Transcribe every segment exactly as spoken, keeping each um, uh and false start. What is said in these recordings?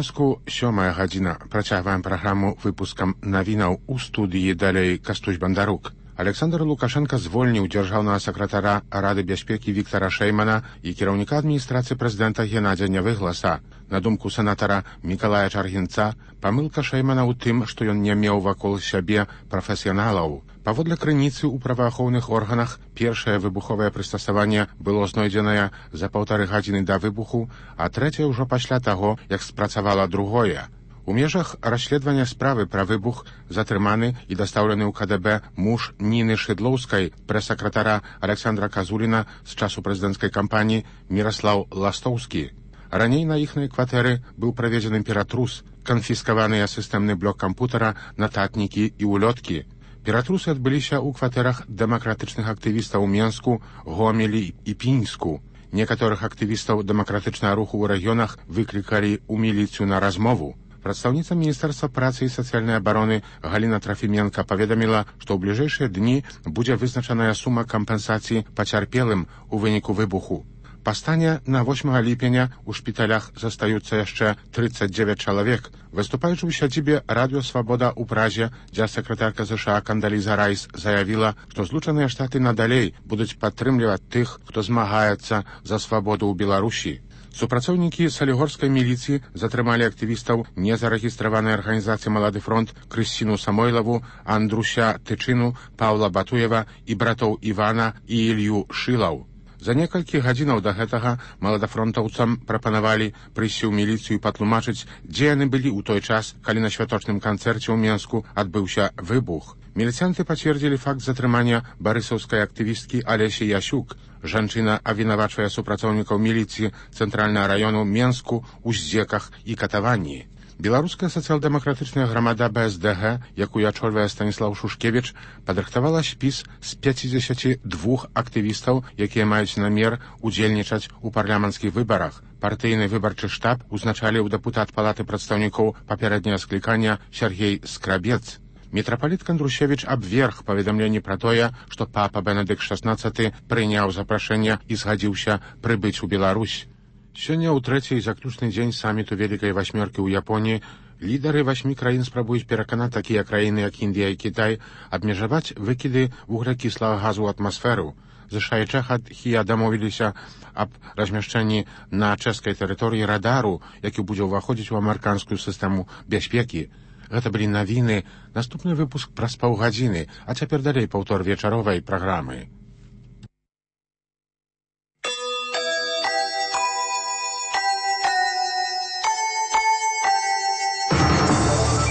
Мінску сёмая гадзіна. Працягваем праграму выпускам навінаў у студыі. Далей Кастусь Бандарук. Александр Лукашенко звольніў дзяржаўнага сакратара Рады бяспекі Віктара Шэймана і кіраўніка адміністрацыі прэзідэнта Геннадзя Нявыгласа. На думку сенатара Мікалая Чаргінца, памылка Шэймана ў тым, што ён не меў вакол сябе прафесіяналаў. Паводле крыніцы ў праваахоўных органах, першае выбуховае прыстасаванне было знойдзенае за паўтары гадзіны да выбуху, а трэцяе ўжо пасля таго, як спрацавала другое. У межах расследавання справы пра выбух затрыманы і дастаўлены ў ка дэ бэ муж Ніны Шыдлоўскай, прэс-сакратара Александра Казуліна з часу прэзідэнцкай кампаніі Міраслаў Ластоўскі. Раней на іхнай кватэры быў праведзены ператрус, канфіскаваныя сістэмны блок кампутара, нататнікі і улёткі. Ператрусы адбыліся ў кватэрах дэмакратычных актывістаў у Менску, Гомелі і Пінску. Некаторых актывістаў дэмакратычнага руху ў рэгіёнах выклікалі ў міліцыю на размову. Прадстаўніца Міністэрства працы і сацыяльнай абароны Галіна Трафіменка паведаміла, што ў бліжэйшыя дні будзе вызначаная сума кампенсацыі пацярпелым у выніку выбуху. Па стане на восьмага ліпеня у шпіталях застаюцца яшчэ трыццаць дзевяць чалавек. Выступаючы ў сядзібе Радыё Свабода ў Празе, дзяржсакратарка ЗША Кандаліза Райс заявіла, што Злучаныя Штаты надалей будуць падтрымліваць тых, хто змагаецца за свабоду ў Беларусі. Супрацоўнікі салігорскай міліцыі затрымалі актывістаў незарэгістраванай арганізацыі «Малады фронт» Крысціну Самойлаву, Андруся Тычыну, Паўла Батуева і братоў Івана і Ілью Шылаў. За некалькі гадзінаў да гэтага маладафронтаўцам прапанавалі прыйсці ў міліцыю і патлумачыць, дзе яны былі ў той час, калі на святочным канцэрце ў Менску адбыўся выбух. Міліцыянты пацвердзілі факт затрымання барысаўскай актывісткі Алесі Ясюк. Жанчына абвінавачвае супрацоўнікаў міліцыі цэнтральнага раёну Менску ў здзеках і катаванні. Беларуская сацыял-дэмакратычная грамада бэ эс дэ гэ, якую ачольвае Станіслаў Шушкевіч, падрыхтавала спіс з пяцідзесяці двух актывістаў, якія маюць намер удзельнічаць у парламенцкіх выбарах. Партыйны выбарчы штаб узначаліў дэпутат палаты прадстаўнікоў папярэдняга склікання Сергей Скрабец. Мітрапаліт Кандрусевіч абверг паведамленні пра тое, што папа Бенедыкт шаснаццаты прыняў запрашэнне і згадзіўся прыбыць у Беларусь. Сёння ў трэці і заключны дзень саміту Вялікай васьмёркі ў Японіі лідары васьмі краін спрабуюць пераканаць такія краіны, як Індыя і Кітай, абмежаваць выкіды вуглякіслага газу ў атмасферу. ЗША і Чэхія дамовіліся аб размяшчэнні на чэшскай тэрыторыі радару, які будзе ўваходзіць у амерыканскую сістэму бяспекі. Гэта былі навіны. Наступны выпуск праз паўгадзіны, а цяпер далей паўтор вечаровай праграмы.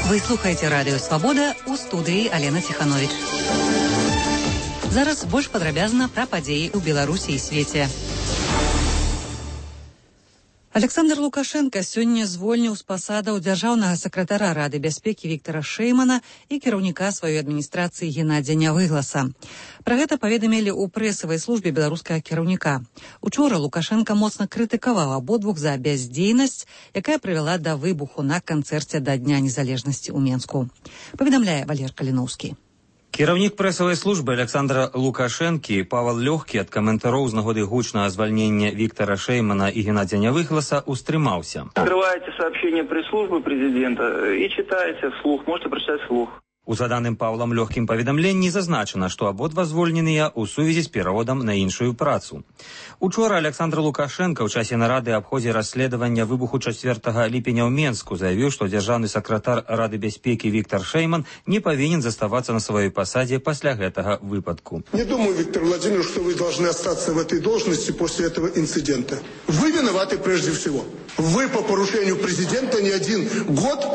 Вы слухаеце Радыё Свабода, у студыі Алена Ціхановіч. Зараз больш падрабязна пра падзеі ў Беларусі і свеце. Александр Лукашенко сёння звольніў з пасадаў дзяржаўнага сакратара Рады бяспекі Віктара Шэймана і кіраўніка сваёй адміністрацыі Геннадзя Нявыгласа. Пра гэта паведамілі ў прэсавай службе беларускага кіраўніка. Учора Лукашенко моцна крытыкаваў абодвух за бяздзейнасць, якая прывяла да выбуху на канцэрце да Дня незалежнасці ў Менску. Паведамляе Валер Каліноўскі. Кіраўнік прэсавай службы Александра Лукашэнкі Павел Лёгкі ад каментароў з нагоды гучнага звальнення Віктара Шэймана і Геннадзя Нявыгласа устрымаўся. Открываете сообщение пресс-службы президента и читаете вслух, можете прочитать вслух. У заданым Павлам Лёгкім паведамленні зазначана, што абодва звольненыя ў сувязі з пераводам на іншую працу. Учора Александр Лукашенко ў часе нарады аб ходзе расследавання выбуху чацвёртага ліпеня ў Менску заявіў, што дзяржаўны сакратар Рады бяспекі Віктар Шэйман не павінен заставацца на сваёй пасадзе пасля гэтага выпадку. Не думаю, Виктор Владимирович, что вы должны остаться в этой должности после этого инцидента. Вы виноваты прежде всего. Вы по поручению президента не один год,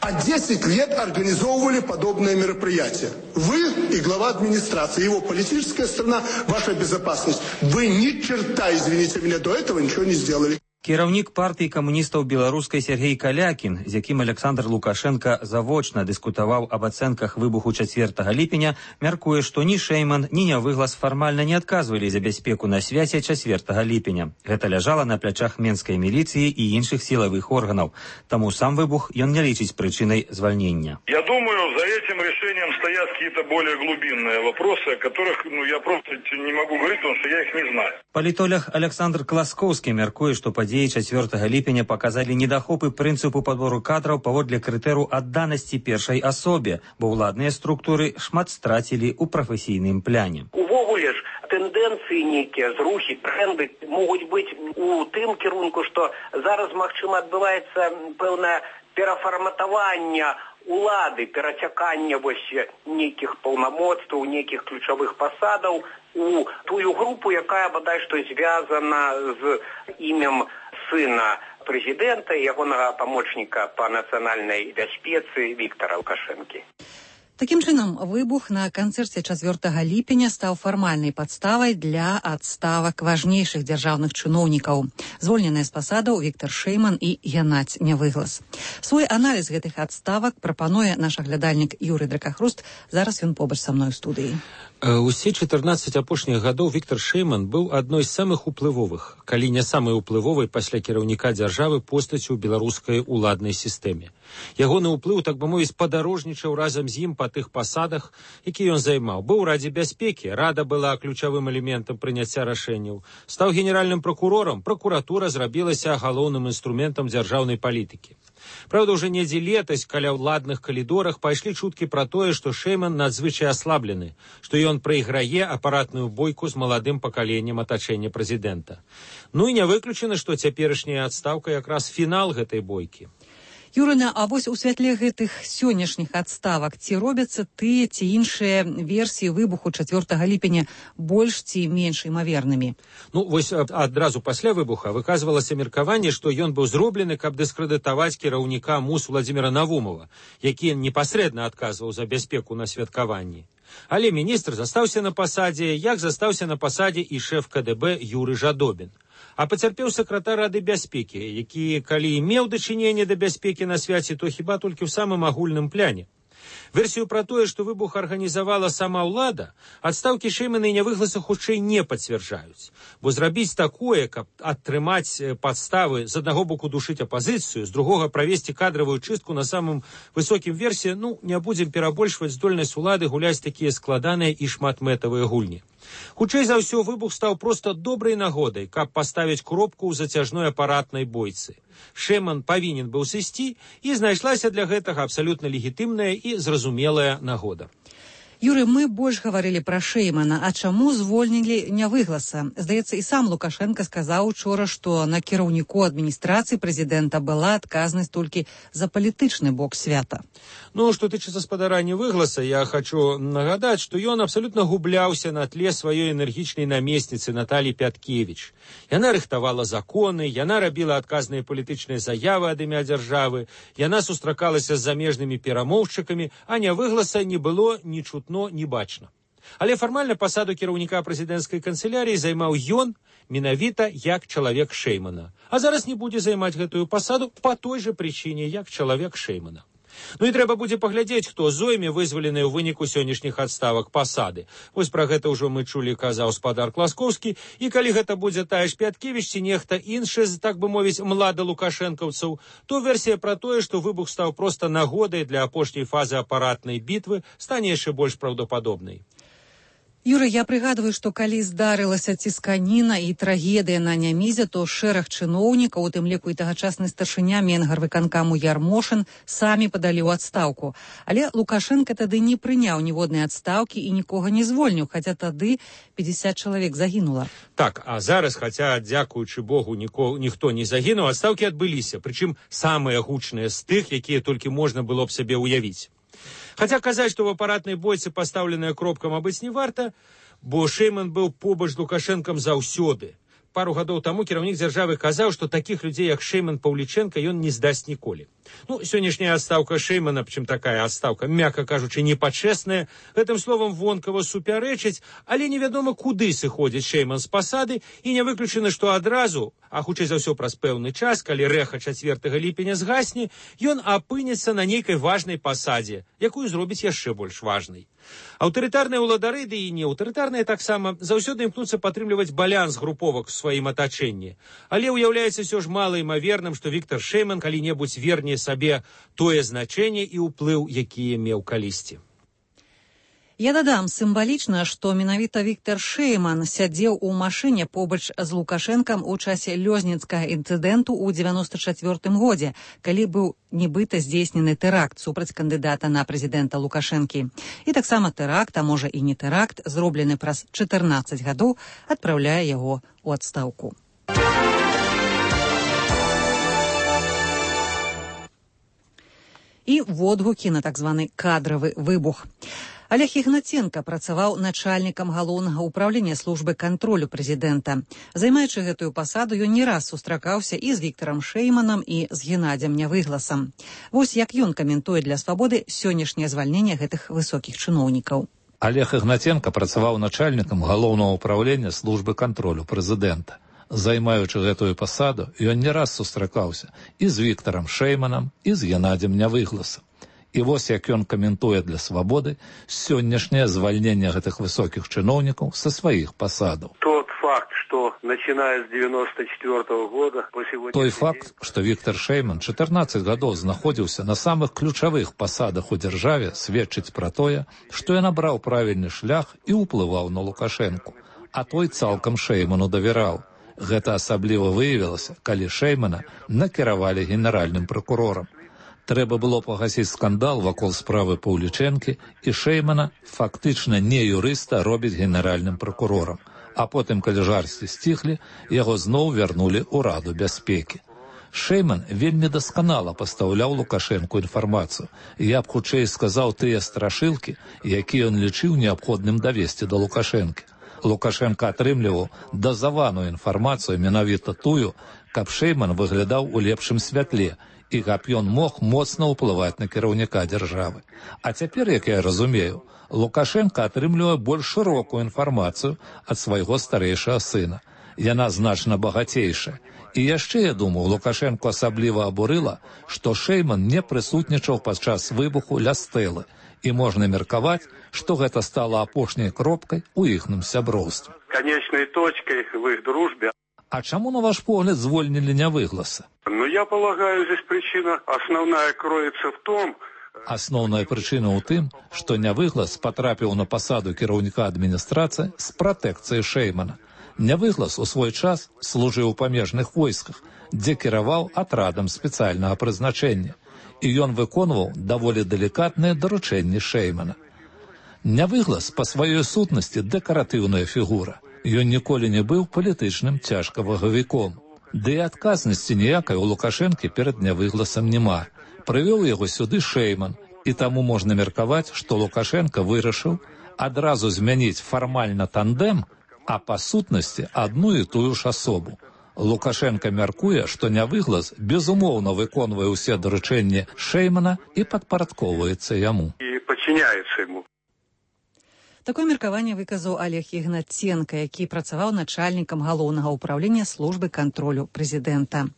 а десять лет организовывали подобное мероприятие. Вы и глава администрации, его политическая сторона, ваша безопасность. Вы ни черта, извините меня, до этого ничего не сделали. Кіраўнік партыі камуністаў беларускай Сергей Калякін, з якім Александр Лукашенко завочна дыскутаваў аб ацэнках выбуху чацвёртага ліпеня, мяркуе, што ні Шэйман, ні Нявыглас фармальна не адказвалі за бяспеку на свяце чацвёртага ліпеня. Гэта ляжала на плячах менскай міліцыі і іншых сілавых органаў. Таму сам выбух ён не лічыць прычынай звальнення. Я думаю, за этим решением стоят какие-то более глубинные вопросы, о которых ну, я просто не могу говорить, потому что я их не знаю. Палітолог Александр Класкоўскі мяркуе, што падзеі чацвёртага ліпеня паказалі недахопы прынцыпу падбору кадраў паводле крытэру адданасці першай асобе, бо ўладныя структуры шмат страцілі ў прафесійным пляне. Увогуле ж тэндэнцыі нейкія, зрухі, тренды могуць быць у тым кірунку, што зараз, магчыма, адбываецца пэўнае перафарматаванне улады, перацякання вось нейкіх паўнамоцтваў, нейкіх ключавых пасадаў у тую групу, якая бадай што звязана з імем сына прэзідэнта і ягонага памочніка па нацыянальнай бяспецы Віктара Лукашэнкі. Такім чынам, выбух на канцэрце чацвёртага ліпеня стаў фармальнай падставай для адставак важнейшых дзяржаўных чыноўнікаў. Звольненыя з пасадаў Віктар Шэйман і Геннадзь Нявыглас. Свой аналіз гэтых адставак прапануе наш аглядальнік Юрый Дракахруст. Зараз ён побач са мной у студыі. Усе чатырнаццаць апошніх гадоў Віктар Шэйман быў адной з самых уплывовых, калі не самай уплывовай пасля кіраўніка дзяржавы постаццю ў беларускай уладнай сістэме. Ягоны ўплыў, так бы мовіць, падарожнічаў разам з ім па тых пасадах, які ён займаў. Быў у Радзе бяспекі, Рада была ключавым элементам прыняцця рашэнняў. Стаў генеральным пракурорам, пракуратура зрабілася галоўным інструментам дзяржаўнай палітыкі. Правда, уже недзе летась каля ўладных калідорах пайшлі чуткі пра тое, што Шэйман надзвычай аслаблены, што ён прайграе апаратную бойку з маладым пакаленнем атачэння прэзідэнта. Ну і не выключана, што цяперашняя адстаўка якраз фінал гэтай бойкі. Юрына, а вось у святле гэтых сённяшніх адставак ці робяцца тыя ці іншыя версіі выбуху чацвёртага ліпеня больш ці менш імавернымі? Ну, вось адразу пасля выбуха выказвалася меркаванне, што ён быў зроблены, каб дыскрэдытаваць кіраўніка МУС Владзіміра Навумова, які непасрэдна адказваў за бяспеку на святкаванні. Але міністр застаўся на пасадзе, як застаўся на пасадзе і шэф ка дэ бэ Юры Жадобін. А пацярпеў сакратар Рады бяспекі, які, калі і меў дачыненне да бяспекі на свяце, то хіба толькі ў самым агульным пляне. Версію пра тое, што выбух арганізавала сама ўлада, адстаўкі Шэймана і Нявыгласа хутчэй не пацвярджаюць. Бо зрабіць такое, каб атрымаць падставы з аднаго боку душыць апазіцыю, з другога правесці кадравую чыстку на самым высокім версе, ну, не будзем перабольшваць здольнасць улады гуляць такія складаныя і шматмэтавыя гульні. Хутчэй за ўсё, выбух стаў проста добрай нагодай, каб паставіць кропку ў зацяжной апаратнай бойцы. Шэйман павінен быў сысці, і знайшлася для гэтага абсалютна легітымная і зразумелая нагода. Юры, мы больш гаварылі пра Шэймана, а чаму звольнілі Нявыгласа? Здаецца, і сам Лукашенко сказаў учора, што на кіраўніку адміністрацыі прэзідэнта была адказнасць толькі за палітычны бок свята. Ну, што тычыцца спадара Нявыгласа, я хачу нагадаць, што ён абсалютна губляўся на тле сваёй энергічнай намесніцы Наталі Пяткевіч. Яна рыхтавала законы, яна рабіла адказныя палітычныя заявы ад імя дзяржавы, яна сустракалася з замежнымі перамоўшчыкамі, а Нявыгласа не было ні чутно, но не бачна. Але фармальна пасаду кіраўніка прэзідэнцкай канцылярыі займаў ён менавіта як чалавек Шэймана. А зараз не будзе займаць гэтую пасаду па той жа прычыне, як чалавек Шэймана. Ну і трэба будзе паглядзець, хто зойме вызваленыя ў выніку сённяшніх адставак пасады. Вось пра гэта ўжо мы чулі, казаў спадар Класкоўскі, і калі гэта будзе тая ж Пяткевіч ці нехта іншы з, так бы мовіць, млада лукашэнкаўцаў, то версія пра тое, што выбух стаў проста нагодай для апошняй фазы апаратнай бітвы, стане яшчэ больш праўдападобнай. Юра, я прыгадваю, што калі здарылася цісканіна і трагедыя на Нямізе, то шэраг чыноўнікаў, у тым ліку і тагачасны старшыня Менгарвыканкаму Ярмошын, самі падалі ў адстаўку. Але Лукашенко тады не прыняў ніводнай адстаўкі і нікога не звольніў, хаця тады пятьдесят чалавек загінула. Так, а зараз, хаця, дзякуючы Богу, ніко, ніхто не загінуў, адстаўкі адбыліся, прычым самыя гучныя з тых, якія толькі можна было б сабе ўявіць. Хаця казаць, што в апаратнай бойцы пастаўленая кропка, мабыць, не варта, бо Шэйман быў побач з Лукашэнкам заўсёды. Пару гадоў таму кіраўнік дзяржавы казаў, што такіх людзей, як Шэйман Паўлічэнка, ён не здасць ніколі. Ну, сённяшняя адстаўка Шэймана, прычым такая адстаўка, мякка кажучы, непачэсная, гэтым словам вонкава супярэчыць, але невядома, куды сыходзіць Шэйман з пасады, і не выключана, што адразу, а хутчэй за ўсё праз пэўны час, калі рэха чацвёртага ліпеня згасне, ён апынецца на нейкай важнай пасадзе, якую зробіць яшчэ больш важнай. Аўтарытарныя ўладары, ды і не аўтарытарныя таксама, заўсёды імкнуцца падтрымліваць баланс груповак у сваім атачэнні. Але ўяўляецца ўсё ж малаімаверным, што Віктар Шэйман калі-небудзь верне сабе тое значэнне і ўплыў, якія меў калісьці. Я дадам, сімвалічна, што менавіта Віктар Шэйман сядзеў у машыне побач з Лукашэнкам у часе лёзніцкага інцыдэнту ў дзевяноста чацвёртым годзе, калі быў нібыта здзейснены тэракт супраць кандыдата на прэзідэнта Лукашэнкі. І таксама тэракт, а можа і не тэракт, зроблены праз чатырнаццаць гадоў, адпраўляе яго ў адстаўку. І водгукі на так званы кадравы выбух. Олег Ігнаценка працаваў начальнікам галоўнага ўправлення службы кантролю прэзідэнта. Займаючы гэтую пасаду, ён не раз сустракаўся і з Віктарам Шэйманам, і з Геннадзем Нявыгласам. Вось як ён каментуе для «Свабоды» сённяшняе звальненне гэтых высокіх чыноўнікаў. Олег Ігнаценка працаваў начальнікам галоўнага ўправлення службы кантролю прэзідэнта. Займаючы гэтую пасаду, ён не раз сустракаўся і з Віктарам Шэйманам, і з Геннадзем Нявыгласам. І вось як ён каментуе для «Свабоды» сённяшняе звальненне гэтых высокіх чыноўнікаў са сваіх пасадаў. Тот факт, что начиная с девяносто четвёртого года по сегодня... Той факт, што Віктар Шэйман чатырнаццаць гадоў знаходзіўся на самых ключавых пасадах у дзяржаве, сведчыць пра тое, што ён абраў правільны шлях і ўплываў на Лукашэнку. А той цалкам Шэйману давяраў. Гэта асабліва выявілася, калі Шэймана накіравалі генеральным пракурорам. Трэба было пагасіць скандал вакол справы Паўлічэнкі, і Шэймана фактычна не юрыста робіць генеральным пракурорам. А потым, калі жарсці сціхлі, яго зноў вярнулі ў Раду бяспекі. Шэйман вельмі дасканала пастаўляў Лукашэнку інфармацыю. Я б хутчэй сказаў тыя страшылкі, якія ён лічыў неабходным давесці да Лукашэнкі. Лукашенко атрымліваў дазаваную інфармацыю, менавіта тую, каб Шэйман выглядаў у лепшым святле, і каб ён мог моцна ўплываць на кіраўніка дзяржавы. А цяпер, як я разумею, Лукашенко атрымлівае больш шырокую інфармацыю ад свайго старэйшага сына. Яна значна багацейшая. І яшчэ, я думаю, Лукашенко асабліва абурыла, што Шэйман не прысутнічаў падчас выбуху ля стэлы, і можна меркаваць, што гэта стала апошняй кропкай у іхным сяброўстве. Конечной точкой в их дружбе. А чаму, на ваш погляд, звольнілі Нявыгласа? Ну, я полагаю, здесь причина основная кроется в том... Асноўная прычына ў тым, што Нявыглас патрапіў на пасаду кіраўніка адміністрацыі з пратэкцыяй Шэймана. Нявыглас у свой час служыў у памежных войсках, дзе кіраваў атрадам спецыяльнага прызначэння, і ён выконваў даволі далікатныя даручэнні Шэймана. Нявыглас па сваёй сутнасці дэкаратыўная фігура. Ён ніколі не быў палітычным цяжкавагавіком. Ды і адказнасці ніякай у Лукашэнкі перад Нявыгласам няма. Прывёў яго сюды Шэйман, і таму можна меркаваць, што Лукашенко вырашыў адразу змяніць фармальна тандем, а па сутнасці адну і тую ж асобу. Лукашенко мяркуе, што Нявыглас безумоўна выконвае ўсе даручэнні Шэймана і падпарадковваецца яму. І падчыняецца яму. Такое меркаванне выказаў Олег Ігнаценка, які працаваў начальнікам галоўнага ўправлення службы кантролю прэзідэнта.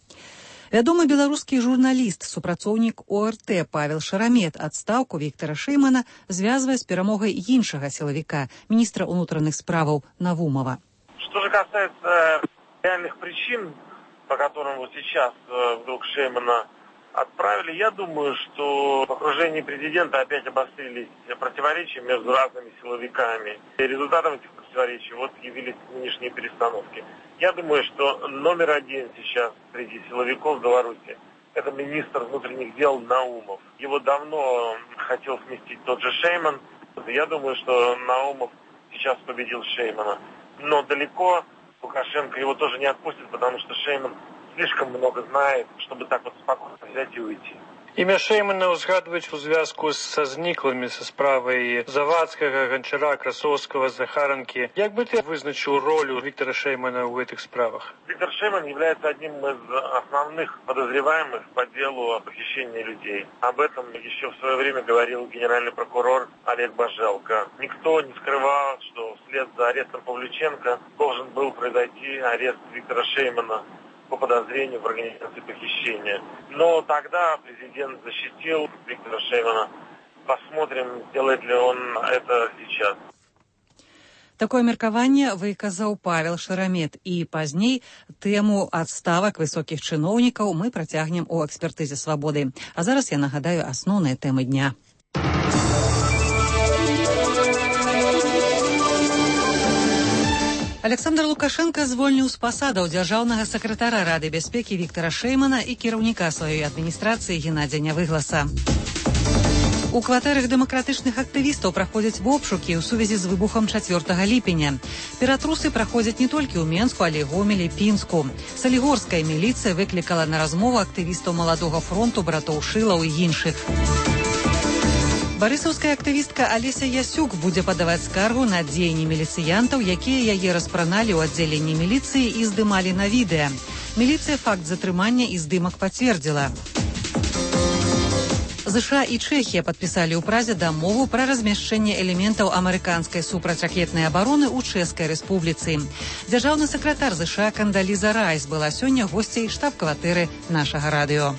Вядомы беларускі журналіст, супрацоўнік О Р Т Павел Шарамет адстаўку Віктара Шэймана звязвае з перамогай іншага сілавіка, міністра ўнутраных справаў Навумова. Что же касается реальных причин, по которым вот сейчас вдруг Шэймана отправили, я думаю, что в окружении президента опять обострились противоречия между разными силовиками. И результатом этих противоречий вот явились нынешние перестановки. Я думаю, что номер один сейчас среди силовиков в Беларуси – это министр внутренних дел Наумов. Его давно хотел сместить тот же Шэйман. Я думаю, что Наумов сейчас победил Шэймана. Но далеко Лукашенко его тоже не отпустит, потому что Шэйман слишком много знает, чтобы так вот спокойно взять и уйти. Імя Шэймана ўзгадваюць у звязку са зніклымі са справай Завадскага, Гончара, Красовского, Захаранкі. Як бы ты вызначыў роль Виктора Шэймана в этих справах? Виктор Шэйман является одним из основных подозреваемых по делу о похищении людей. Об этом еще в свое время говорил генеральный прокурор Олег Бажелко. Никто не скрывал, что вслед за арестом Павлюченко должен был произойти арест Виктора Шэймана по подозрению в организации похищения. Но тогда президент защитил Виктора Шэймана. Посмотрим, делает ли он это сейчас. Такое меркаванне выказаў Павел Шарамет, і пазней тэму адставак высокіх чыноўнікаў мы працягнем у экспертызе «Свабоды». А зараз я нагадаю асноўныя тэмы дня. Александр Лукашенко звольніў з пасадаў дзяржаўнага сакратара Рады бяспекі Віктара Шэймана і кіраўніка сваёй адміністрацыі Геннадзя Нявыгласа. У кватэрах дэмакратычных актывістаў праходзяць обшукі ў сувязі з выбухам чацвёртага ліпеня. Ператрусы праходзяць не толькі ў Менску, але і Гомелі, Пінску. Салігорская міліцыя выклікала на размову актывістаў Маладога фронту, братоў Шылаў і іншых. Барысаўская актывістка Алеся Ясюк будзе падаваць скаргу на дзеянні міліцыянтаў, якія яе распраналі ў аддзяленні міліцыі і здымалі на відэа. Міліцыя факт затрымання і здымак пацвердзіла. ЗША і Чэхія падпісалі ў Празе дамову пра размяшчэнне элементаў амерыканскай супрацьракетнай абароны ў Чэшскай рэспубліцы. Дзяржаўны сакратар ЗША Кандаліза Райс была сёння госцяй штаб-кватэры нашага радыё.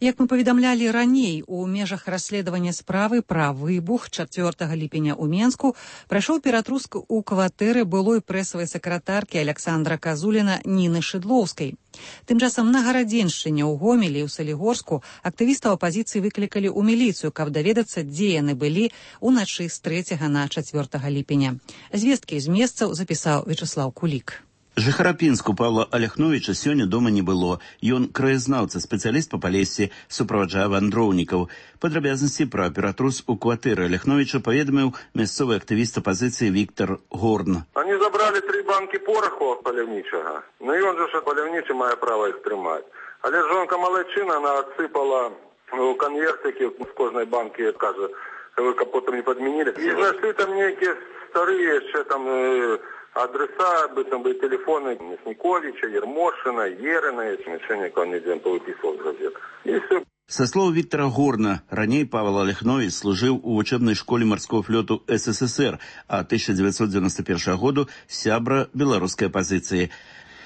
Як мы паведамлялі раней, у межах расследавання справы пра выбух чацвёртага ліпеня ў Менску прайшоў ператруск у кватэры былой прэсавай сакратаркі Александра Казуліна Ніны Шыдлоўскай. Тым часам на Гарадзеншчыне, ў Гомелі і ў Салігорску актывістаў апазіцыі выклікалі ў міліцыю, каб даведацца, дзе яны былі ўначы з трэцяга на чацвёртага ліпеня. Звесткі з месцаў запісаў Вячеслаў Кулік. Жыхара Пінску Павла Аляхновіча сёння дома не было. Ён краязнаўца, спецыяліст па Палесе, суправаджае вандроўнікаў. Падрабязнасці пра ператрус у кватэры Аляхновіча паведаміў мясцовы актывіст апазіцыі Віктор Горн. Они забрали три банки пороху паляўнічага. Ну і он же ж паляўнічы мае права іх трымаць. Але жонка малайчына, она отсыпала у конвертики з кожнай банки, кажа, вы капотом не подменили. І знайшли там нейкія старыя яшчэ там адреса, быццам бы телефоны Мясніковича, Ермошина, Ерина, смешение, он нигде повыписывал в газетах. И все. Со слов Виктора Горна, раней Павел Аляхнович служил у учебной школе морского флоту СССР, а тысяча девятьсот девяносто первого году сябра белорусской оппозиции.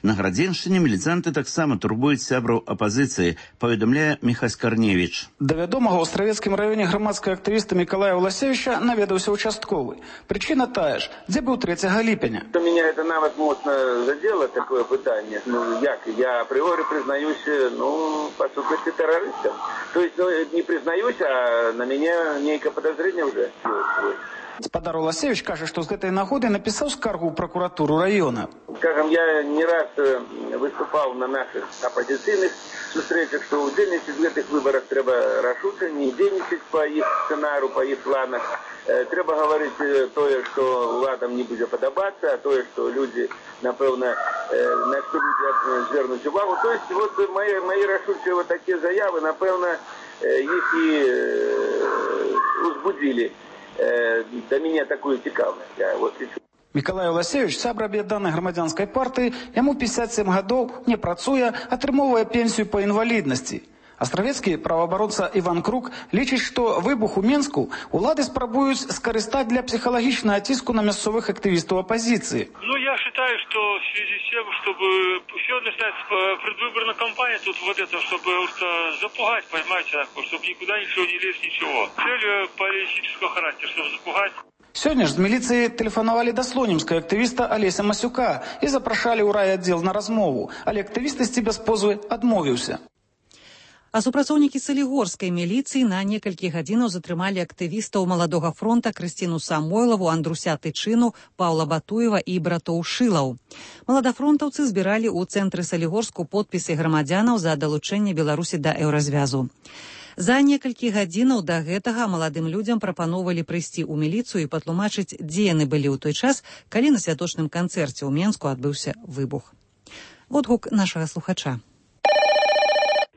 На Гарадзеншчыне міліцанты таксама турбуюць сябраў апазіцыі, паведамляе Міхась Карневіч. Да вядомага ў Астравецкім раёне грамадскага актывіста Мікалая Власевіча наведаўся участковы. Причина тая ж, дзе быў трэцяга ліпеня. Меня это нават моцна задело, такое пытанне. Ну, як? Я апрыоры признаюсь, ну, по сутности террористом. То есть, ну, не признаюсь, а на меня нейкое подозрение уже. Гаспадар Уласевич кажа, што з гэтай нагоды напісаў скаргу ў пракуратуру раёна. Скажем, я не раз выступаў на наших апозіцыйных сустрэчах, што удзельнічаць в гэтых выбарах трэба рашуча, не дзейнічаць па іх сцэнару, па іх планах. Трэба гаварыць тое, што уладам не будзе падабацца, а тое, што людзі, напэўна, на што людзі звернуць увагу. То есть, вот мои, мои рашучыя вот такія заявы, напэўна, іх і узбудзілі да мяне такую цікавасць. Вот Мікалай Уласевич, сябра аб'яднанай грамадзянскай партыі, яму пятьдесят семь гадоў, не працуе, атрымоўвае пенсію па інваліднасці. Астравецкі праваабаронца Іван Крук лічыць, што выбух у Менску улады спрабуюць скарыстаць для психологічнага ціску на мясцовых актывістаў апозіцыі. Ну, я считаю, что в связи с тем, чтобы все начинается предвыборная кампания, тут вот это, чтобы запугать, понимаете, чтобы никуда ничего не лезть, ничего. Цель политического характера, чтобы запугать. Сёння ж з міліцыі тэлефанавалі да слонімскай актывіста Алеся Масюка і запрашалі ў райаддзел на размову, але актывіст ісці без позвы адмовіўся. А супрацоўнікі салігорскай міліцыі на некалькі гадзінаў затрымалі актывістаў Маладога фронта Крысціну Самойлаву, Андруся Тычыну, Паўла Батуева і братоў Шылаў. Маладафронтаўцы збіралі ў цэнтры Салігорску подпісы грамадзянаў за далучэнне Беларусі да еўразвязу. За некалькі гадзінаў да гэтага маладым людзям прапаноўвалі прыйсці ў міліцыю і патлумачыць, дзе яны былі ў той час, калі на святочным канцэрце ў Менску адбыўся выбух. Водгук нашага слухача.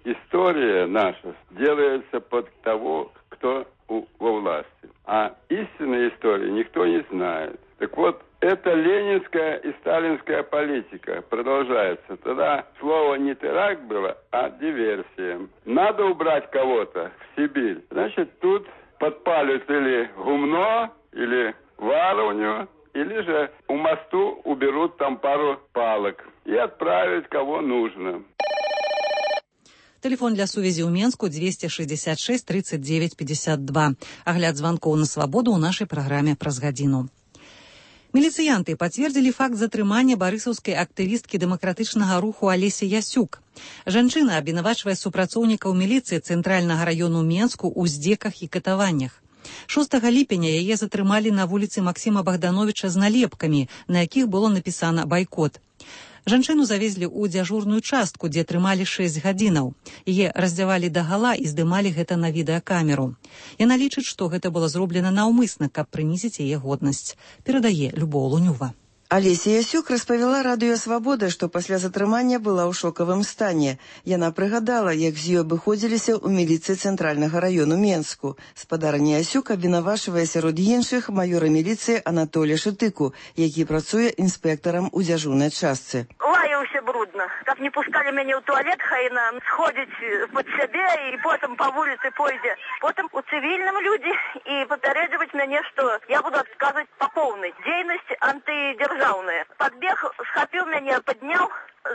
История наша делается под того, кто у, во власти. А истинной истории никто не знает. Так вот, это ленинская и сталинская политика продолжается. Тогда слово не теракт было, а диверсия. Надо убрать кого-то в Сибирь. Значит, тут подпалят или гумно, или варовню, или же у мосту уберут там пару палок и отправят кого нужно. Телефон для сувязі ў Менску двести шестьдесят шесть тридцать девять пятьдесят два. Агляд званкоў на свабоду ў нашай праграме праз гадзіну. Міліцыянты пацвердзілі факт затрымання барысаўскай актывісткі дэмакратычнага руху Алесі Ясюк. Жанчына абвінавачвае супрацоўнікаў міліцыі цэнтральнага раёну Менску ў здзеках і катаваннях. шостага ліпеня яе затрымалі на вуліцы Максіма Богдановича з налепкамі, на якіх было напісана «Байкот». Жанчыну завезлі ў дзяжурную частку, дзе трымалі шэсць гадзінаў. Яе раздзявалі дагала і здымалі гэта на відэакамеру. Яна лічыць, што гэта было зроблена наўмысна, каб прынізіць яе годнасць. Перадае Любоў Лунюва. Алеся Ясюк распавяла радыё «Свабода», што пасля затрымання была ў шокавым стане. Яна прыгадала, як з ёй абыходзіліся ў міліцыі цэнтральнага раёну Менску. Спадарня Ясюк абвінавачвае сярод іншых маёра міліцыі Анатолія Шытыку, які працуе інспектарам у дзяжурнай частцы. Лаяўся брудна. Каб не пускалі мяне ў туалет, хай нам сходзіць пад сябе і потым па вуліцы пойдзе. Потым у цывільным людзі і папярэджваць мяне, што я буду адказваць па поўнай. Дзейнасць антыдзяржаўная. Подбег, схапил меня, поднял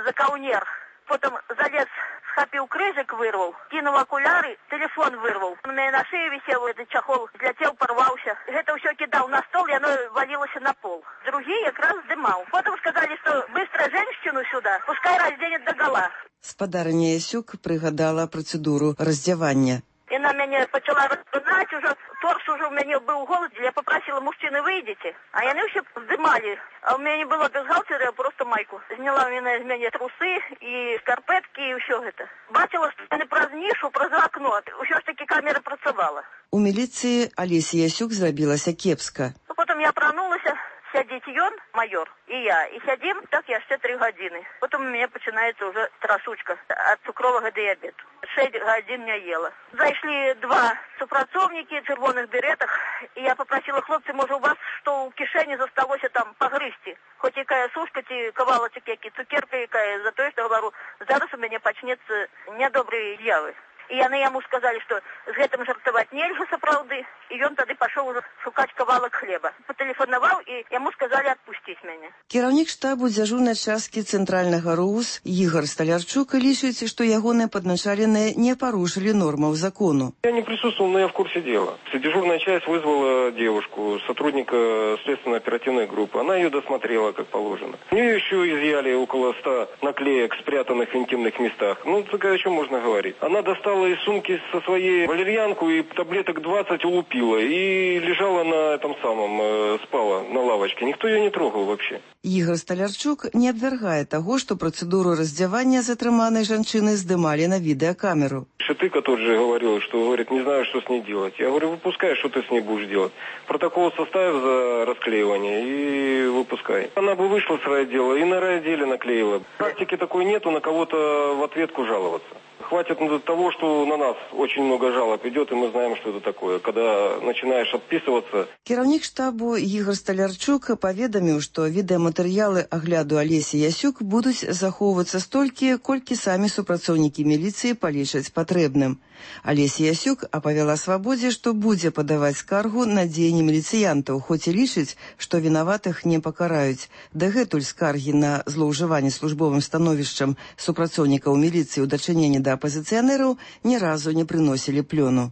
за каунер. Потом залез, схапил крыжик, вырвал. Кинул окуляры, телефон вырвал. У меня на шее висел этот чехол, взлетел, порвался. Это все кидал на стол, и оно валилось на пол. Другие как раз дымал. Потом сказали, что быстро женщину сюда, пускай разденет догола. Спадарня Ясюк прыгадала працэдуру раздзявання. И она меня начала распинать, уже торс уже у меня был голод, я попросила мужчины, выйдите. А они все вздымали. А у меня не было бюстгальтера, я просто майку. Сняла у меня из меня трусы и шкарпетки, и все это. Бачила, что не праз нишу, праз окно. Все ж таки камера працавала. У міліцыі Алесі Ясюк зрабілася кепска. Потом я пронулась, сядзіць ён, майор, и я. И сядим, так яшчэ три гадзіны. Потом у меня начинается уже трасучка от цукрового диабета. Шесть гадзін не ела. Зайшли два супрацоўнікі в чырвоных беретах, и я попросила хлопцы, может, у вас что у кишени засталось там погрызти. Хоть якая сушка, ці кавалочек, які цукерка якая, за то, что, говорю, зараз у меня почнется недобрые явы. И яны яму сказали, что з гэтым жартаваць нельга сапраўды, и ён тады пашоў уже шукаць кавалак хлеба. Потэлефанаваў, и яму сказали отпустить мяне. Кіраўнік штабу дзяжурнай часткі цэнтральнага РУС Ігор Сталярчук лічыць, што ягоныя падначаленыя не парушылі нормаў закону. Я не присутствовал, но я в курсе дела. Дежурная часть вызвала девушку, сотрудника следственно-оперативной группы. Она ее досмотрела, как положено. У нее еще изъяли около ста наклеек, спрятанных в интимных местах. Ну, так о чем можно говорить? Она достала из сумки со своей валерьянку и таблеток двадцать улупила. И лежала на этом самом, э, спала на лавочке. Никто ее не трогал вообще. Ігор Сталярчук не абвяргае таго, што працэдуру раздзявання затрыманай жанчыны здымалі на відэакамеру. Шытыка тот же говорил, что, говорит, не знаю, что с ней делать. Я говорю, выпускай, что ты с ней будешь делать. Протокол составь за расклеивание и выпускай. Она бы вышла с райотдела и на райотделе наклеила. Практики такой нету, на кого-то в ответку жаловаться. Хватит того, что на нас очень много жалоб идет, и мы знаем, что это такое. Когда начинаешь отписываться... Кіраўнік штабу Ігор Сталярчук паведаміў, што відэаматэрыялы агляду Алесі Ясюк будуць захоўвацца столькі, колькі самі супрацоўнікі міліцыі палічаць патрэбным. Алеся Ясюк апавяла «Свабодзе», што будзе падаваць скаргу на дзеянні міліцыянтаў, хоць і лічыць, што вінаватых не пакараюць. Дагэтуль скаргі на злоўжыванне службовым становішчам супрацоўнікаў міліцыі ў дачыненні да апазіцыянераў ні разу не прыносілі плёну.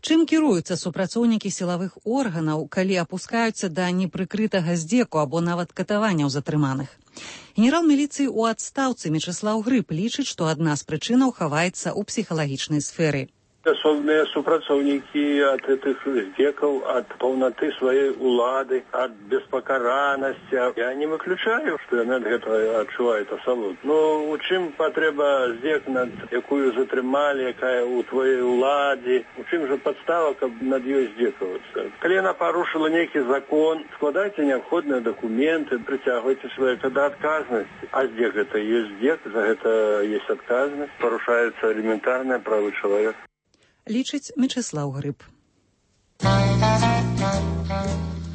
Чым кіруюцца супрацоўнікі сілавых органаў, калі апускаюцца да непрыкрытага здзеку або нават катаванняў затрыманых? Генерал міліцыі ў адстаўцы Мечыслаў Грыб лічыць, што адна з прычынаў хаваецца ў псіхалагічнай сферы. Асобныя супрацоўнікі ад гэтых здзекаў, ад паўнаты сваёй улады, ад беспакаранасці. Я не выключаю, што яны ад гэтага адчуваюць асалоду. Ну, у чым патрэба здзек, над якую затрымалі, якая ў твоей уладзе? У чым жа падстава, каб над ёй здзекавацца? Калі яна парушыла нейкі закон, складайце неабходныя дакументы, прыцягвайце свае да адказнасці. А здзек гэта ёсць здзек, за гэта ёсць адказнасць. Парушаюцца элементарныя правы чалавека. Лічыць Мечыслаў Грыб.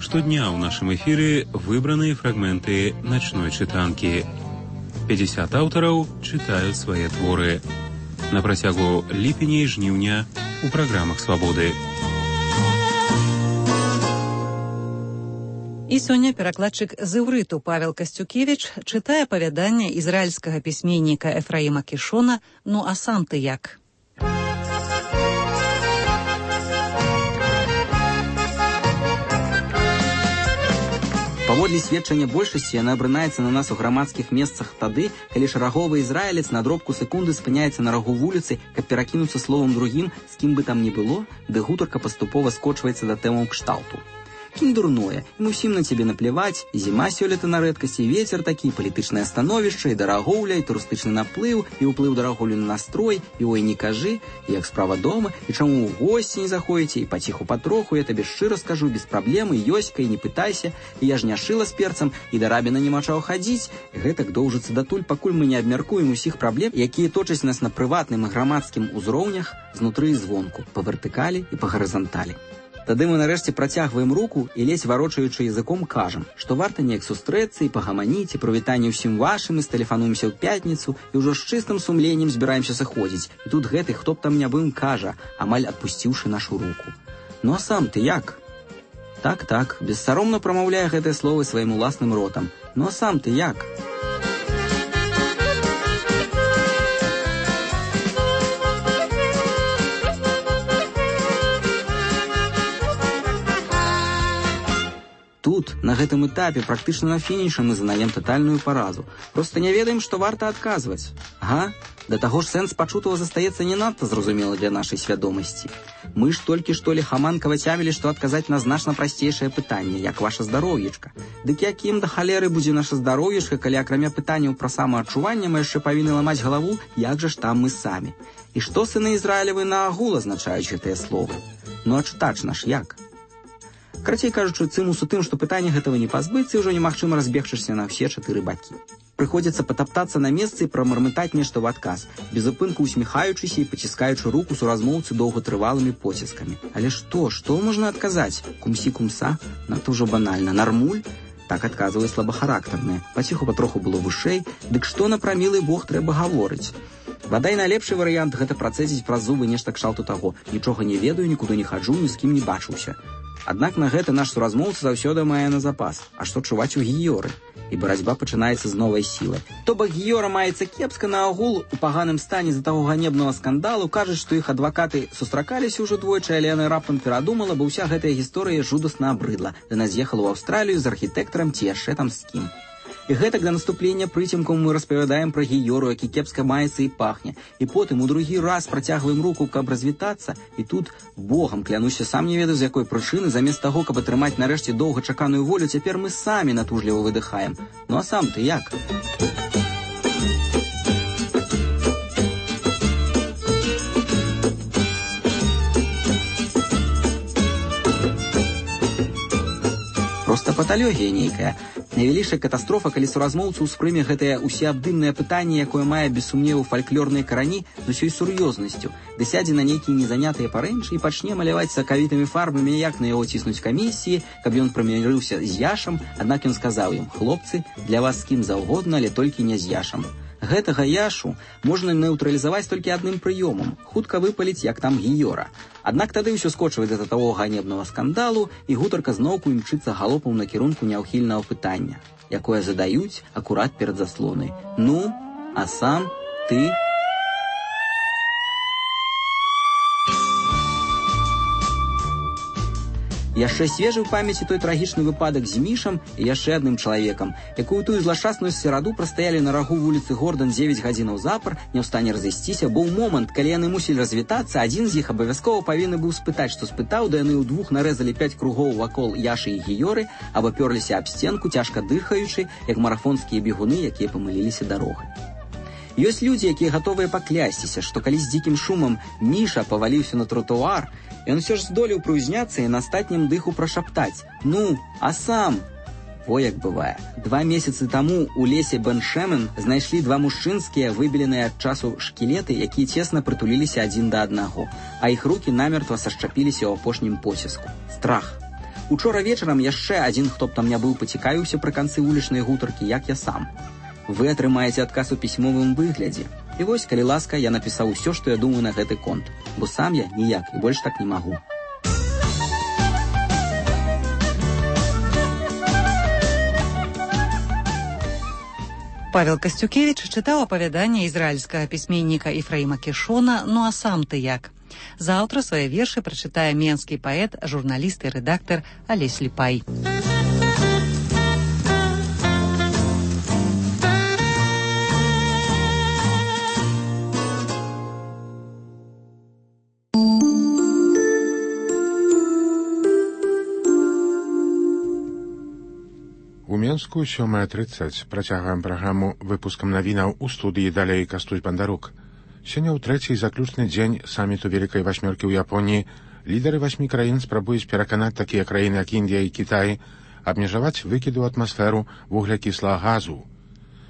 Штодня ў нашым эфіры выбраныя фрагменты начной чытанкі. пятьдесят аўтараў чытаюць свае творы. На працягу ліпеня і жніўня у праграмах «Свабоды». І сёння перакладчык з іўрыту Павел Касцюкевіч чытае апавяданне ізраільскага пісьменніка Ефраіма Кішона «Ну а сам ты як?». Паводле сведчання большасці яна абрынаецца на нас у грамадскіх месцах тады, калі шараговы ізраілец на дробку секунды спыняецца на рагу вуліцы, каб перакінуцца словам другім, з кім бы там ні было, ды гутарка паступова скочваецца да тэмаў кшталту. Кінь дурное, ім усім на цябе напляваць, і зіма сёлета на рэдкасць, і вецер такі, палітычнае становішча, і дарагоўля, і турыстычны наплыў, і ўплыў дарагоўлю на настрой, і ой, не кажы, і як справа дома, і чаму ў госці не заходзіце, і паціху патроху, я табе шчыра скажу, без праблемы, ёська, і не пытайся, і я ж не шыла з перцам, і да рабіна няма чаго хадзіць, і гэтак доўжыцца датуль, пакуль мы не абмяркуем усіх праблем, якія точаць нас на прыватным і грамадскім узроўнях знутры і звонку, па вертыкалі і па гарызанталі. Тады мы нарэшце працягваем руку і ледзь варочаючы языком кажам, што варта неяк сустрэцца і пагаманіць, і прывітанне ўсім вашым, і стэлефануемся ў пятніцу, і ўжо з чыстым сумленнем збіраемся сыходзіць. І тут гэты, хто б там не быў, кажа, амаль адпусціўшы нашу руку. Ну а сам ты як? Так-так, бессаромна прамаўляе гэтыя словы сваім уласным ротам. Ну а сам ты як? Тут, на гэтым этапе, практычна на фінішы мы занаем татальную паразу. Проста не ведаем, што варта адказваць. Ага, да таго ж сэнс пачутого застаецца не надта зразумелы для нашай свядомасці. Мы ж толькі што лихаманкава цямілі, што адказаць на значна прасцейшае пытанне, як ваша здароўечка. Дык якім да халеры будзе наша здароўечка, калі акрамя пытанняў пра самаадчуванне мы яшчэ павінны ламаць галаву, як жа ж там мы самі. І што сыны Ізраілевы на агул азначаюць гэтыя словы? Ну а чытач наш як? Карацей кажучы, цымус у тым, што пытання гэтага не пазбыцца і ўжо немагчыма разбегчыся на ўсе чатыры бакі. Прыходзіцца патаптацца на месцы і прамармытаць нешта ў адказ, без упынку усміхаючыся і паціскаючы руку суразмоўцы доўгатрывалымі поціскамі. Але што, што можна адказаць? Кумсі-кумса? Надта ўжо банальна. Нармуль? Так адказвае слабахарактарнае. Паціху патроху было вышэй. Дык што на прамілы Бог трэба гаворыць? Бадай найлепшы варыянт гэта працэдзіць праз зубы нешта кшталту таго. Нічога не ведаю, нікуды не хаджу, ні з кім не бачыўся. Аднак на гэта наш суразмоўца заўсёды мае на запас. А што чуваць у гіёры? І барацьба пачынаецца з новай сілай. То бок гіёра маецца кепска, на агул у паганым стане з-за таго ганебнага скандалу, кажуць, што іх адвакаты сустракаліся ўжо двойчы, але яна раптам перадумала, бо ўся гэтая гісторыя жудасна абрыдла. Яна з'ехала ў Аўстралію з архітэктарам ці яшчэ там з кім. І гэтак да наступлення прыцемкам мы распавядаем пра гіёру, які кепска маецца і пахне. І потым у другі раз працягваем руку, каб развітацца, і тут, богам клянуся, сам не ведаю, з якой прычыны, замест таго, каб атрымаць нарэшце доўгачаканую волю, цяпер мы самі натужліва выдыхаем. Ну а сам ты як? Проста паталогія нейкая. Найвялейшая катастрофа, калі суразмоўца ўспрыме гэтае усеабдымнае пытанне, якое мае без сумневу фальклорныя карані з усёй сур'ёзнасцю, ды сядзе на нейкія незанятыя парэнчы і пачне маляваць сакавітымі фарбамі, як на яго ціснуць камісіі, каб ён прымірыўся з Яшам, аднак ён сказаў ім: «Хлопцы, для вас з кім заўгодна, але толькі не з Яшам». Гэтага Яшу можна нейтралізаваць толькі адным прыёмам – хутка выпаліць, як там гіёра. Аднак тады ўсё скочвае да таго ганебнага скандалу, і гутарка зноўку імчыцца галопам на кірунку няўхільнага пытання, якое задаюць акурат перад заслонай. Ну, а сам ты... Яшчэ свежы ў памяці той трагічны выпадак з Мішам і яшчэ адным чалавекам, якую тую злашчасную сераду прастаялі на рагу вуліцы Гордан дзевяць гадзінаў запар, не ў стане разысціся, бо ў момант, калі яны мусілі развітацца, адзін з іх абавязкова павінны быў спытаць, што спытаў, да яны ўдвух нарэзалі пяць кругоў вакол Яшы і гіёры, абапёрліся аб сценку, цяжка дыхаючы, як марафонскія бегуны, якія памыліліся дарогай. Ёсць людзі, якія гатовыя паклясціся, што калі з дзікім шумам Міша паваліўся на тратуар, ён усё ж здолеў прыўзняцца і на астатнім дыху прашаптаць: «Ну, а сам?» Во як бывае. Два месяцы таму у лесе Бен-Шемен знайшлі два мужчынскія, выбеленыя ад часу шкілеты, якія цесна прытуліліся адзін да аднаго, а іх рукі намертва сашчапіліся ў апошнім поціску. Страх. Учора вечарам яшчэ адзін, хто б там не быў, пацікавіўся пры канцы вулічнай гутаркі, як я сам. Вы атрымаеце адказ у пісьмовым выглядзе. І вось, калі ласка, я напісаў усё, што я думаю на гэты конт, бо сам я ніяк і больш так не магу. Павел Касцюкевіч чытаў апавяданне ізраільскага пісьменніка Ефраіма Кішона «Ну а сам ты як?». Заўтра свае вершы прачытае менскі паэт, журналіст і рэдактар Алесь Ліпай. Мінску сёмая трыццаць. Працягваем праграму выпускам навінаў у студыі далей Кастусь Бандарук. Сёння ў трэці заключны дзень саміту Вялікай Васьмёркі ў Японіі лідары васьмі краін спрабуюць пераканаць такія краіны, як Індыя і Кітай, абмежаваць выкіды ў атмасферу вуглякіслага газу.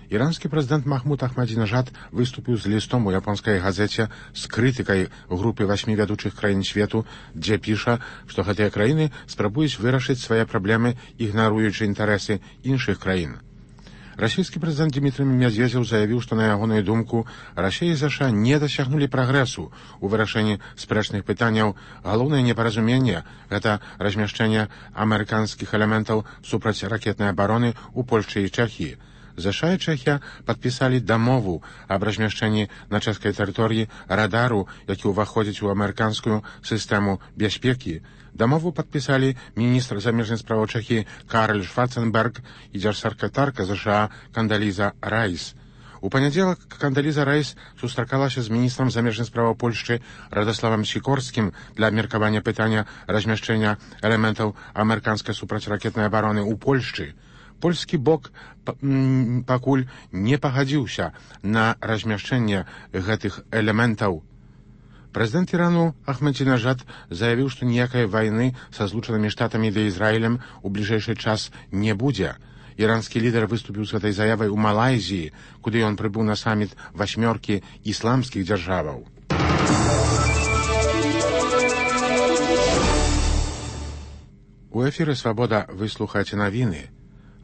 Іранскі прэзідэнт Махмуд Ахмадзінежад выступіў з лістом у японскай газеце з крытыкай групы васьмі вядучых краін свету, дзе піша, што гэтыя краіны спрабуюць вырашыць свае праблемы, ігнаруючы інтарэсы іншых краін. Расійскі прэзідэнт Дмітрый Медведзеў заявіў, што на ягоную думку Расія і ЗША не дасягнулі прагрэсу ў вырашэнні спрэчных пытанняў. Галоўнае непаразуменне – гэта размяшчэнне амерыканскіх элементаў супрацьракетнай абароны ў Польшчы і Чэхіі. ЗША і Чэхія падпісалі дамову аб размяшчэнні на чэшскай тэрыторыі радару, які ўваходзіць у амерыканскую сістэму бяспекі. Дамову падпісалі міністр замежных справаў Чэхіі Карл Шварценберг і дзяржсакратарка ЗША Кандаліза Райс. У панядзелак Кандаліза Райс сустракалася з міністрам замежных справаў Польшчы Радаславам Сікорскім для абмеркавання пытання размяшчэння элементаў амерыканскай супрацьракетнай абароны ў Польшчы. Польскі бок пакуль не пагадзіўся на размяшчэнне гэтых элементаў. Прэзідэнт Ірану Ахмадзінежад заявіў, што ніякай вайны са злучанымі штатамі ды Ізраілем у бліжэйшы час не будзе. Іранскі лідар выступіў з гэтай заявай у Малайзіі, куды ён прыбыў на саміт васьмёркі ісламскіх дзяржаваў. У эфіры «Свабода» вы слухаеце навіны.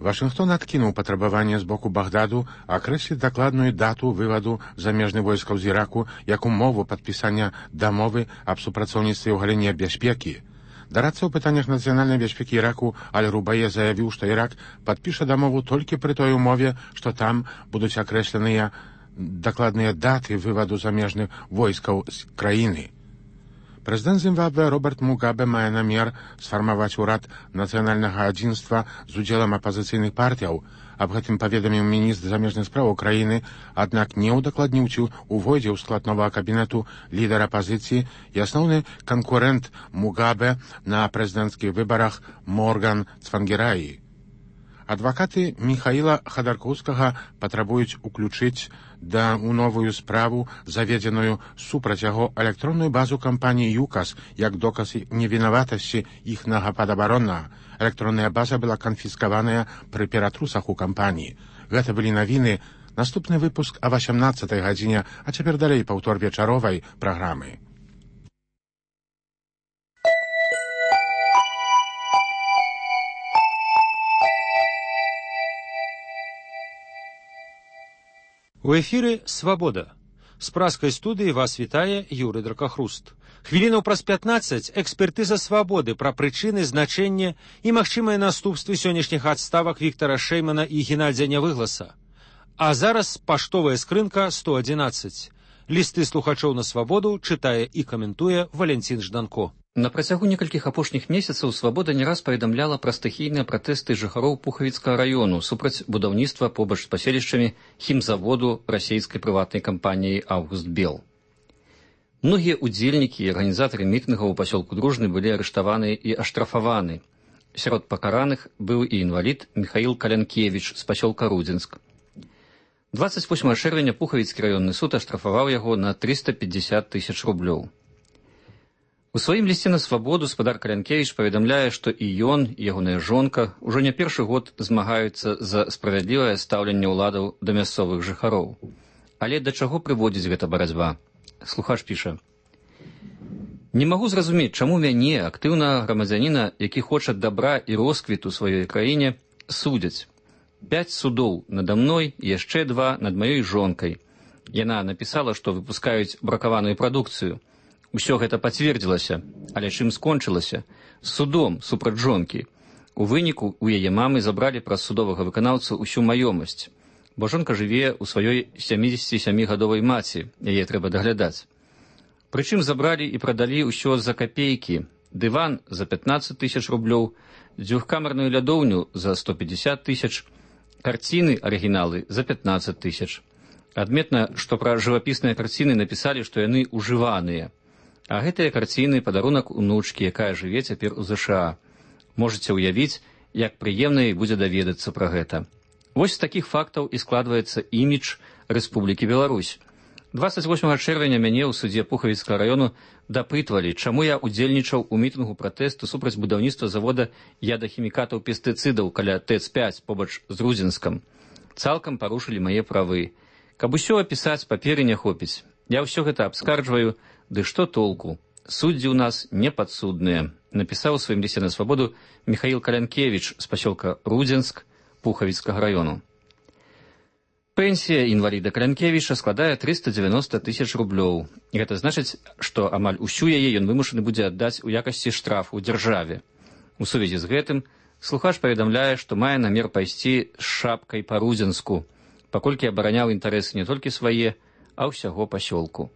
Вашынгтон адкінуў патрабаванне з боку Багдаду акрэсліць дакладную дату вываду замежных войскаў з Іраку як умову падпісання дамовы аб супрацоўніцтве ў галіне бяспекі. Дарадца ў пытаннях нацыянальнай бяспекі Іраку Аль-Рубае заявіў, што Ірак падпіша дамову толькі пры той умове, што там будуць акрэсленыя дакладныя даты вываду замежных войскаў з краіны. Прэзідэнт Зімбабве Роберт Мугабе мае намер сфармаваць урад нацыянальнага адзінства з удзелам апазіцыйных партыяў. Аб гэтым паведаміў міністр замежных справаў краіны, аднак не ўдакладніў, ці увойдзе ў склад новага кабінету лідар апазіцыі і асноўны канкурэнт Мугабе на прэзідэнцкіх выбарах Морган Цвангераі. Адвакаты Міхаіла Хадаркоўскага патрабуюць уключыць да ў новую справу, заведзеную супраць яго электронную базу кампаніі ЮКАС, як доказ невінаватасці іхнага падабароннага. Электронная база была канфіскаваная пры ператрусах у кампаніі. Гэта былі навіны. Наступны выпуск о васямнаццатай гадзіне, а цяпер далей паўтор вечаровай праграмы. У эфіры «Свабода». З праскай студыі вас вітае Юрый Дракахруст. Хвілінаў праз пятнаццаць экспертыза «Свабоды» пра прычыны, значэнне і магчымыя наступствы сённяшніх адставак Віктара Шэймана і Геннадзя Нявыгласа. А зараз паштовая скрынка сто адзінаццаць. Лісты слухачоў на «Свабоду» чытае і каментуе Валянцін Жданко. На працягу некалькіх апошніх месяцаў «Свабода» не раз паведамляла пра стыхійныя пратэсты жыхароў Пухавіцкага раёну супраць будаўніцтва побач з паселішчамі хімзаводу расійскай прыватнай кампаніі «Аўгуст Бел». Многія ўдзельнікі і арганізатары мітынгаў у пасёлку Дружны былі арыштаваны і аштрафаваны. Сярод пакараных быў і інвалід Міхаіл Калянкевіч з пасёлка Рудзінск. дваццаць восьмага чэрвеня Пухавіцкі раённы суд аштрафаваў яго на трыста пятьдесят тысяч рублёў. У сваім лісце на «Свабоду» спадар Калянкевіч паведамляе, што і ён, і ягоная жонка ўжо не першы год змагаюцца за справядлівае стаўленне ўладаў да мясцовых жыхароў. Але да чаго прыводзіць гэта барацьба? Слухач піша: «Не магу зразумець, чаму мяне, актыўнага грамадзяніна, які хоча дабра і росквіту сваёй краіне, судзяць. Пяць судоў нада мной, яшчэ два над маёй жонкай. Яна напісала, што выпускаюць бракаваную прадукцыю. Усё гэта пацвердзілася, але чым скончылася? Судом супраць жонкі. У выніку у яе мамы забралі праз судовага выканаўцу ўсю маёмасць, бо жонка жыве ў сваёй сямідзесяцісямігадовай маці, яе трэба даглядаць. Прычым забралі і прадалі ўсё за капейкі. Дыван за пятнаццаць тысяч рублёў, дзвюхкамерную лядоўню за сто пятьдесят тысяч, карціны арыгіналы за пятнаццаць тысяч. Адметна, што пра жывапісныя карціны напісалі, што яны ўжываныя. А гэтыя карціны падарунак унучкі, якая жыве цяпер у ЗША. Можаце ўявіць, як прыемна і будзе даведацца пра гэта. Вось з такіх фактаў і складваецца імідж Рэспублікі Беларусь. двадцать восьмага чэрвеня мяне ў судзе Пухавіцкага раёну дапытвалі, чаму я удзельнічаў у мітынгу пратэсту супраць будаўніцтва завода ядахімікатаў пестыцыдаў каля ТЭЦ пяць побач з Рудзенскам. Цалкам парушылі мае правы. Каб усё апісаць, паперы не хопіць. Я ўсё гэта абскарджваю, ды што толку? Суддзі ў нас непадсудныя, напісаў у сваім лісце на свабоду Михаил Калянкевіч з пасёлка Рудзенск Пухавіцкага раёну. Пенсія інваліда Калянкевіча складае трыста дзевяноста тысяч рублёў. Гэта значыць, што амаль усю яе ён вымушаны будзе аддаць у якасці штрафу дзяржаве. У сувязі з гэтым слухач паведамляе, што мае намер пайсці з шапкай па Рудзенску, паколькі абараняў інтарэсы не толькі свае, а ўсяго пасёлку.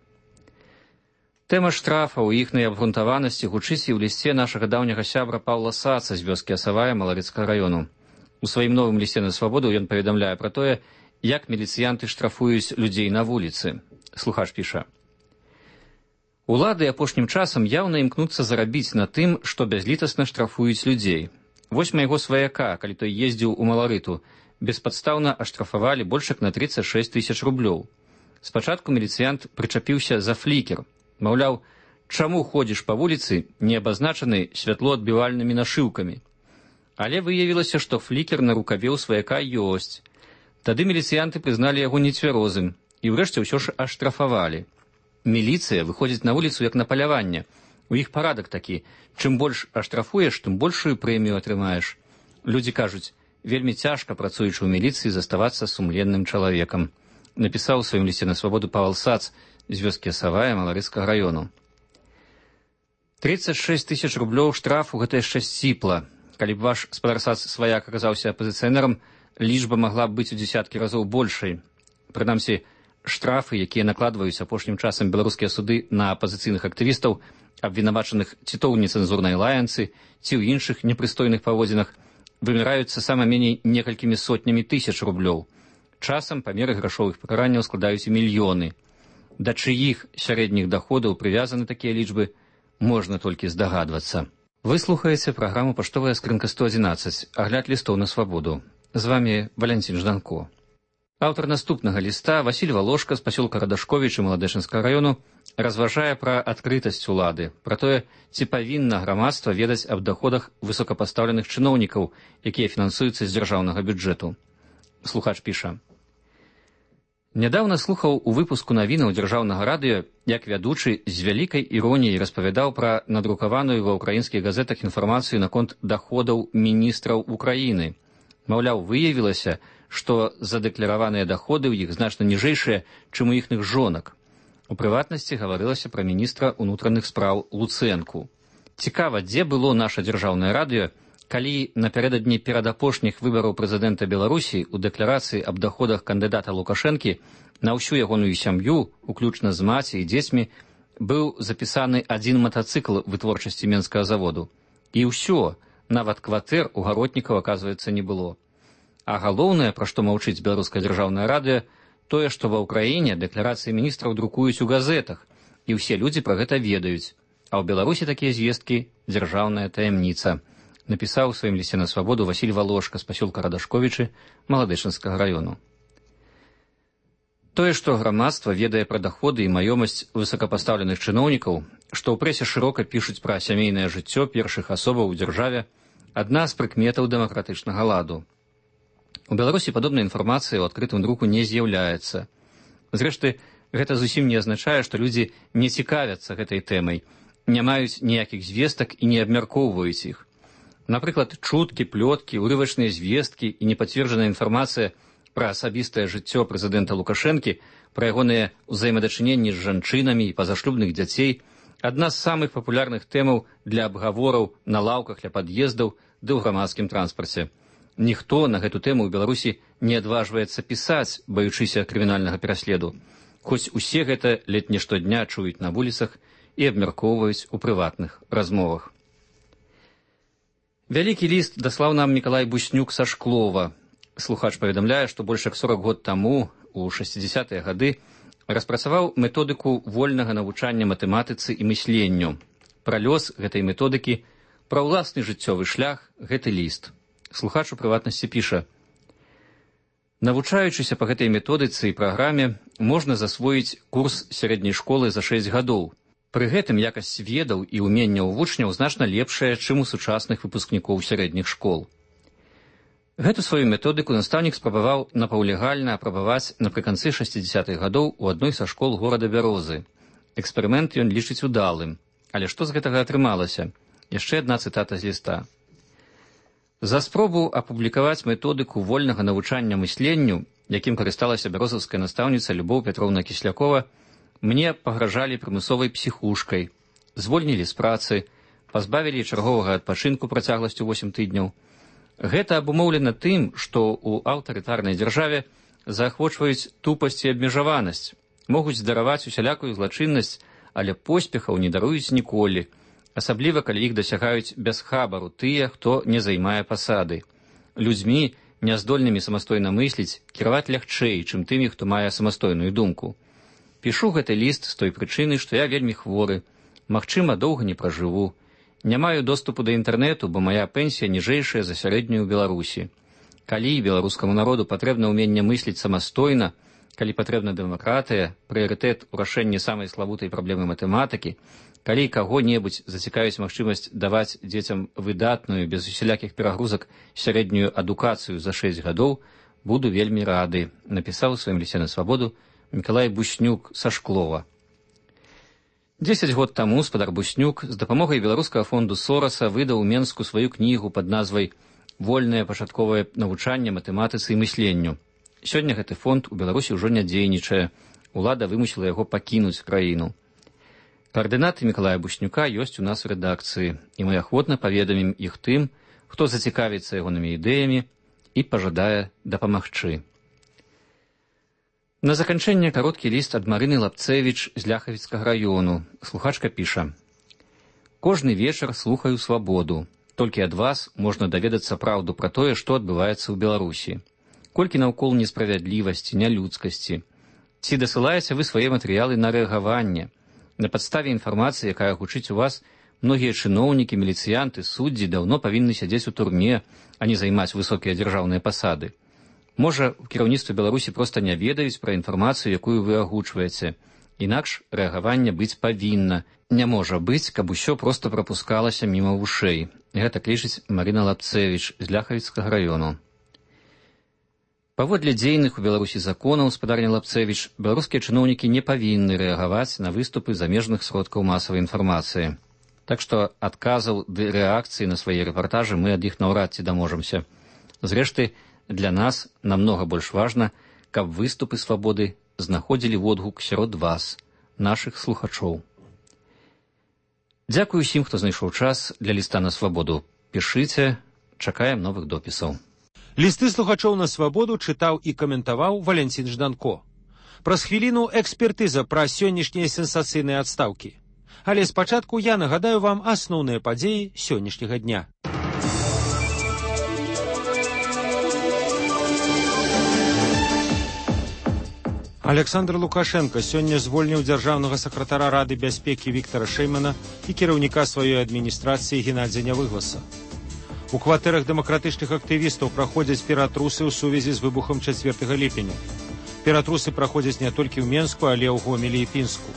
Тэма штрафа ў іхнай абгрунтаванасці гучыць і ў лісце нашага даўняга сябра Паўла Саца з вёскі Асавая Малавецкага раёну. У сваім новым лісце на свабоду ён паведамляе пра тое, як міліцыянты штрафуюць людзей на вуліцы. Слухач піша. Улады апошнім часам яўна імкнуцца зарабіць на тым, што бязлітасна штрафуюць людзей. Вось майго сваяка, калі той ездзіў у Маларыту, беспадстаўна аштрафавалі больш як на тридцать шесть тысяч рублёў. Спачатку міліцыянт прычапіўся за флікер. Маўляў, чаму ходзіш па вуліцы, не абазначаны святлоадбівальнымі нашыўкамі. Але выявілася, што флікер на рукаве ў сваяка ёсць. Тады міліцыянты прызналі яго нецвярозым і ўрэшце ўсё ж аштрафавалі. Міліцыя выходзіць на вуліцу як на паляванне. У іх парадак такі. Чым больш аштрафуеш, тым большую прэмію атрымаеш. Людзі кажуць, вельмі цяжка, працуючы ў міліцыі, заставацца сумленным чалавекам. Напісаў у сваім лісце на свабоду Павел Сац з вёскі Асавая Маларыцкага раёну. тридцать шесть тысяч рублёў штрафу гэта яшчэ сціпла. Калі б ваш спадар Сац сваяк аказаўся апазіцыянерам, лічба магла б быць у дзесяткі разоў большай. Прынамсі, штрафы, якія накладваюць апошнім часам беларускія суды на апазіцыйных актывістаў, абвінавачаных ці то ў нецэнзурнай лаянцы, ці ў іншых непрыстойных паводзінах, выміраюцца сама меней некалькімі сотнямі тысяч рублёў. Часам памеры грашовых пакаранняў складаюць і мільёны. Да чыіх сярэдніх даходаў прывязаны такія лічбы, можна толькі здагадвацца. Вы слухаеце праграму «Паштовая скрынка сто адзінаццаць», агляд лістоў на свабоду. З вами Валянцін Жданко. Аўтар наступнага ліста Васіль Валошка з пасёлка Радашковіч Маладэшынскага раёну разважае пра адкрытасць улады, пра тое, ці павінна грамадства ведаць аб даходах высокапастаўленых чыноўнікаў, якія фінансуюцца з дзяржаўнага бюджэту. Слухач піша. Нядаўна слухаў у выпуску навінаў дзяржаўнага радыё, як вядучы з вялікай іроніяй распавядаў пра надрукаваную ва ўкраінскіх газетах інфармацыю наконт даходаў міністраў Украіны. Маўляў, выявілася, што задэклараваныя даходы ў іх значна ніжэйшыя, чым у іхных жонак. У прыватнасці гаварылася пра міністра ўнутраных спраў Луцэнку. Цікава, дзе было наша дзяржаўнае радыё, калі напярэдадні перадапошніх выбараў прэзідэнта Беларусі ў дэкларацыі аб даходах кандыдата Лукашэнкі на ўсю ягоную сям'ю, уключна з маці і дзецьмі, быў запісаны адзін матацыкл вытворчасці менскага заводу. І ўсё, нават кватэр у гаротнікаў, аказваецца, не было. А галоўнае, пра што маўчыць беларускае дзяржаўнае радыё, тое, што ва ўкраіне дэкларацыі міністраў друкуюць у газетах, і ўсе людзі пра гэта ведаюць. А ў Беларусі такія звесткі дзяржаўная таямніца. Напісаў у сваім лісце на свабоду Васіль Валошка з пасёлка Радашковічы Маладэшынскага раёну. Тое, што грамадства ведае пра даходы і маёмасць высокапастаўленых чыноўнікаў, што ў прэсе шырока пішуць пра сямейнае жыццё першых асобаў у дзяржаве, адна з прыкметаў дэмакратычнага ладу. У Беларусі падобная інфармацыя ў адкрытым друку не з'яўляецца. Зрэшты, гэта зусім не азначае, што людзі не цікавяцца гэтай тэмай, не маюць ніякіх звестак і не абмяркоўваюць іх. Напрыклад, чуткі, плёткі, урывачныя звесткі і непацверджаная інфармацыя пра асабістае жыццё прэзідэнта Лукашэнкі, пра ягоныя ўзаемадачыненні з жанчынамі і пазашлюбных дзяцей адна з самых папулярных тэмаў для абгавораў на лаўках ля пад'ездаў ды ў грамадскім транспарце. Ніхто на гэту тэму ў Беларусі не адважваецца пісаць, баючыся крымінальнага пераследу, хоць усе гэта ледь не штодня чуюць на вуліцах і абмяркоўваюць у прыватных размовах. Вялікі ліст даслаў нам Мікалай Буснюк са Шклова. Слухач паведамляе, што больш як сорок год таму, у шэсцідзесятыя гады, распрацаваў методыку вольнага навучання матэматыцы і мысленню. Пра лёс гэтай методыкі, пра ўласны жыццёвы шлях гэты ліст. Слухач у прыватнасці піша: навучаючыся па гэтай методыцы і праграме можна засвоіць курс сярэдняй школы за шэсць гадоў. Пры гэтым якасць ведаў і ўменняў вучняў значна лепшая, чым у сучасных выпускнікоў сярэдніх школ. Гэту сваю методыку настаўнік спрабаваў напаўлегальна апрабаваць напрыканцы шэсцідзясятых гадоў у адной са школ горада Бярозы. Эксперымент ён лічыць удалым. Але што з гэтага атрымалася? Яшчэ адна цытата з ліста. За спробу апублікаваць методыку вольнага навучання мысленню, якім карысталася бярозаўская настаўніца Любоў Пятроўна Кіслякова, мне пагражалі прымусовай псіхушкай, звольнілі з працы, пазбавілі чарговага адпачынку працягласцю восем тыдняў. Гэта абумоўлена тым, што ў аўтарытарнай дзяржаве заахвочваюць тупасць і абмежаванасць, могуць здараваць усялякую злачыннасць, але поспехаў не даруюць ніколі, асабліва калі іх дасягаюць без хабару тыя, хто не займае пасады. Людзьмі, няздольнымі самастойна мысліць, кіраваць лягчэй, чым тымі, хто мае самастойную думку. Пішу гэты ліст з той прычыны, што я вельмі хворы, магчыма, доўга не пражыву. Не маю доступу да інтэрнэту, бо мая пенсія ніжэйшая за сярэднюю ў Беларусі. Калі беларускаму народу патрэбна ўменне мысліць самастойна, калі патрэбна дэмакратыя, прыярытэт у рашэнні самай славутай праблемы матэматыкі, калі каго-небудзь зацікавіць магчымасць даваць дзецям выдатную, без усялякіх перагрузак, сярэднюю адукацыю за шэсць гадоў, буду вельмі рады, напісаў у сваім лісце на свабоду Мікалай Буснюк са Шклова. Дзесяць год таму спадар Буснюк з дапамогай беларускага фонду Сораса выдаў у Менску сваю кнігу пад назвай «Вольнае пачатковае навучанне матэматыцы і мысленню». Сёння гэты фонд у Беларусі ўжо не дзейнічае, улада вымусіла яго пакінуць краіну. Каардынаты Мікалая Буснюка ёсць у нас у рэдакцыі, і мы ахвотна паведамім іх тым, хто зацікавіцца ягонымі ідэямі і пажадае дапамагчы. На заканчэнне кароткі ліст ад Марыны Лапцэвіч з Ляхавіцкага раёну. Слухачка піша: «Кожны вечар слухаю свабоду. Толькі ад вас можна даведацца праўду пра тое, што адбываецца ў Беларусі. Колькі наўкол несправядлівасці, нялюдскасці. Ці дасылаеце вы свае матэрыялы на рэагаванне? На падставе інфармацыі, якая гучыць у вас, многія чыноўнікі, міліцыянты, суддзі даўно павінны сядзець у турме, а не займаць высокія дзяржаўныя пасады. Можа, у кіраўніцтве Беларусі проста не ведаюць пра інфармацыю, якую вы агучваеце. Інакш рэагаванне быць павінна. Не можа быць, каб усё проста прапускалася міма вушэй». Гэта лічыць Марына Лапцэвіч з Ляхавіцкага раёну. Паводле дзейных у Беларусі законаў, спадарня Лапцэвіч, беларускія чыноўнікі не павінны рэагаваць на выступы замежных сродкаў масавай інфармацыі. Так што адказаў ды рэакцыі на свае рэпартажы мы ад іх наўрад ці даможамся. Зрэшты, для нас намнога больш важна, каб выступы свабоды знаходзілі водгук сярод вас, нашых слухачоў. Дзякую усім, хто знайшоў час для ліста на свабоду. Пішыце, чакаем новых допісаў. Лісты слухачоў на свабоду чытаў і каментаваў Валянцін Жданко. Праз хвіліну экспертыза пра сённяшнія сенсацыйныя адстаўкі. Але спачатку я нагадаю вам асноўныя падзеі сённяшняга дня. Александр Лукашенко сёння звольніў дзяржаўнага сакратара Рады бяспекі Віктара Шэймана і кіраўніка сваёй адміністрацыі Геннадзя Нявыгласа. У кватэрах дэмакратычных актывістаў праходзяць ператрусы ў сувязі з выбухам чацвёртага ліпеня. Ператрусы праходзяць не толькі ў Менску, але ў Гомелі і Пінску.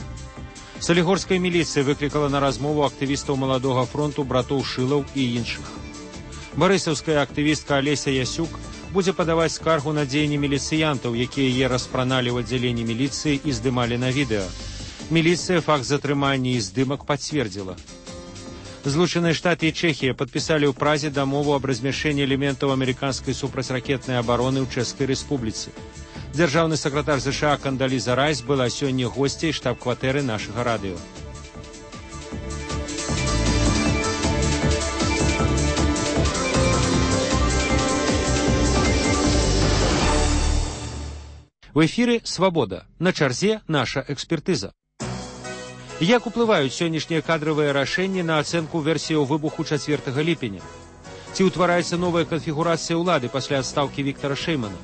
Салігорская міліцыя выклікала на размову актывістаў маладога фронту братоў Шылаў і іншых. Барысаўская актывістка Алеся Ясюк будзе падаваць скаргу на дзеянні міліцыянтаў, якія яе распраналі ў аддзяленні міліцыі і здымалі на відэа. Міліцыя факт затрымання і здымак пацвердзіла. Злучаныя Штаты і Чэхія падпісалі ў Празе дамову аб размяшчэнні элементаў амерыканскай супрацьракетнай абароны ў Чэшскай рэспубліцы. Дзяржаўны сакратар ЗША Кандаліза Райс была сёння госцяй штаб-кватэры нашага радыё. В эфіры «Свабода». На чарзе наша экспертыза. Як уплываюць сённяшнія кадравыя рашэнні на ацэнку версіяў выбуху чацвёртага ліпеня? Ці ўтвараецца новая канфігурацыя ўлады пасля адстаўкі Віктара Шэймана?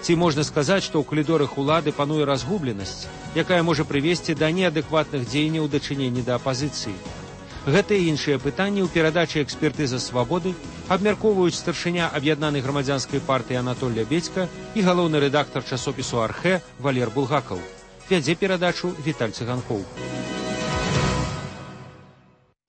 Ці можна сказаць, што ў калідорах улады пануе разгубленасць, якая можа прывесці да неадэкватных дзеянняў у дачыненні да апазіцыі? Гэта і іншыя пытанні ў перадачы экспертыза свабоды абмяркоўваюць старшыня аб'яднанай грамадзянскай партыі Анатоль Лябедзька і галоўны рэдактар часопісу «Архэ» Валер Булгакаў. Вядзе перадачу Віталь Цыганкоў.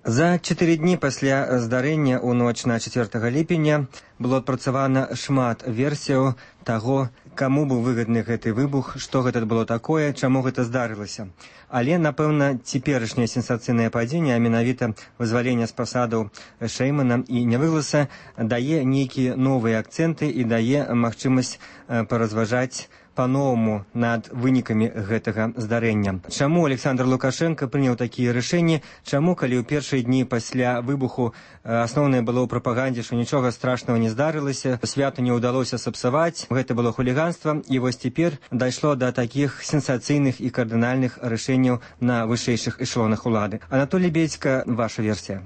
За чатыры дні пасля здарэння ў ноч на чацвёртага ліпеня было адпрацавана шмат версіяў таго, каму быў выгадны гэты выбух, што гэта было такое, чаму гэта здарылася. Але, напэўна, цяперашняе сенсацыйнае падзенне, а менавіта вызваленне з пасадаў Шэймана і Нявыгласа, дае нейкія новыя акцэнты і дае магчымасць паразважаць па-новаму над вынікамі гэтага здарэння. Чаму Александр Лукашенко прыняў такія рашэнні? Чаму, калі ў першыя дні пасля выбуху асноўнае было ў прапагандзе, што нічога страшнага не здарылася, свята не ўдалося сапсаваць, гэта было хуліганства, і вось цяпер дайшло да такіх сенсацыйных і кардынальных рашэнняў на вышэйшых эшелонах улады. Анатоль Лябедзька, ваша версія.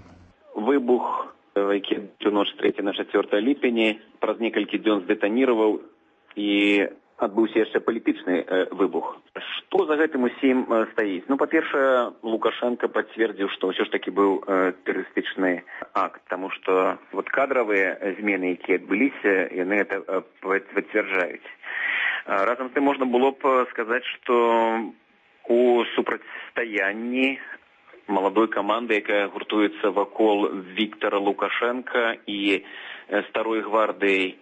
Выбух, які ў ноч з трэцяга на чацвёртае ліпеня праз некалькі дзён здэтаніраваў і адбыўся яшчэ палітычны э, выбух. Што за гэтым усім э, стаіць? Ну, па-першае, Лукашенко пацвердзіў, што ўсё ж такі быў э, тэрарыстычны акт, таму што вот кадравыя змены, якія адбыліся, яны гэта э, пацвярджаюць. А, разам з тым можна было б сказаць, што у супрацьстаянні маладой каманды, якая гуртуецца вакол Віктора Лукашенка і э, старой гвардыі,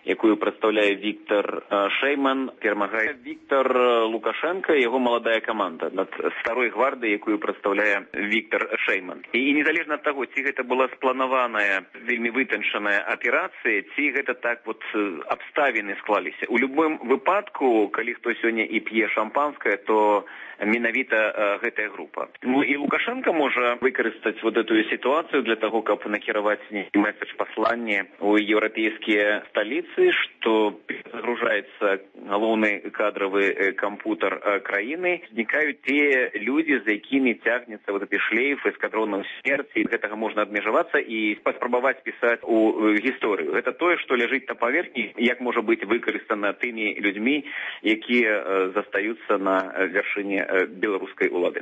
якую прадстаўляе Віктор Шэйман, перамагае Віктор Лукашенко і яго маладая каманда над старой гвардыяй, якую прадстаўляе Віктор Шэйман. І незалежна ад таго, ці гэта была спланаваная, вельмі вытанчаная аперацыя, ці гэта так вот абставіны склаліся. У любым выпадку, калі хто сёння і п'е шампанскае, то менавіта гэтая група. Ну і Лукашенко можа выкарыстаць вот эту сітуацыю для таго, каб накіраваць нейкі месседж паслання ў еўрапейскія сталіцы, что загружается галоўны кадровый компьютер краіны, знікаюць те люди, за якімі цягнецца вот эти шлейфы эскадронаў смерти. Гэтага можна адмежавацца і паспрабаваць пісаць у гісторыю. Гэта тое, што ляжыць на паверхні, як можа быць выкарыстана тымі людзьмі, якія застаюцца на вяршыні беларускай улады.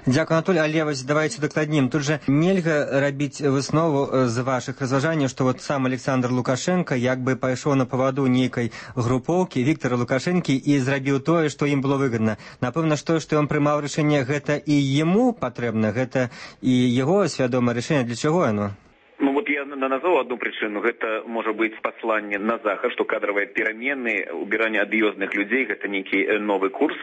Дзякую, Анатоль. Але вось давайте дакладнім. Тут же нельга рабіць выснову з вашых разважанняў, што вот сам Александр Лукашенко як бы пайшоў на паваду нейкай групоўкі Віктора Лукашэнкі і зрабіў тое, што ім было выгадна. Напэўна, што што ён прымаў рашэнне, гэта і яму патрэбна, гэта і яго свядомае рашэнне. Для чаго яно? Ну вот я назвал одну причину. Это может быть послание на Захад, что кадровые перемены, убирание адыёзных людей, это некий новый курс.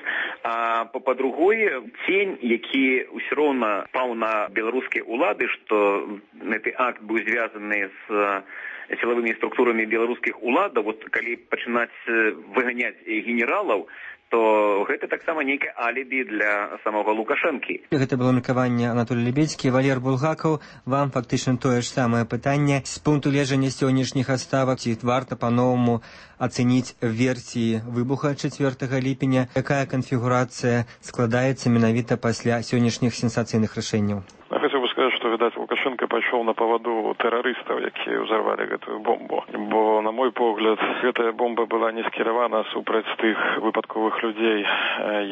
А по-другое, тень, які все равно пал на белорусские улады, что этот акт был связан с силовыми структурами белорусских уладов, вот калі пачынаць выганяць генералаў, то гэта таксама нейкае алібі для самого Лукашэнкі. Гэта было меркаванне Анатолий Лябедзькі. Валер Булгакаў, вам фактычна тое ж самае пытанне. З пункту гледжання сённяшніх адставак, ці варта па-новаму ацэніць версіі выбуха чацвёртага ліпеня? Якая канфігурацыя складаецца менавіта пасля сённяшніх сенсацыйных рашэнняў? Я хотел бы сказать, что, видать, Лукашенко пошел на поводу террористов, які взорвали эту бомбу. Бо, на мой погляд, эта бомба была не скіравана супраць тых выпадковых людей,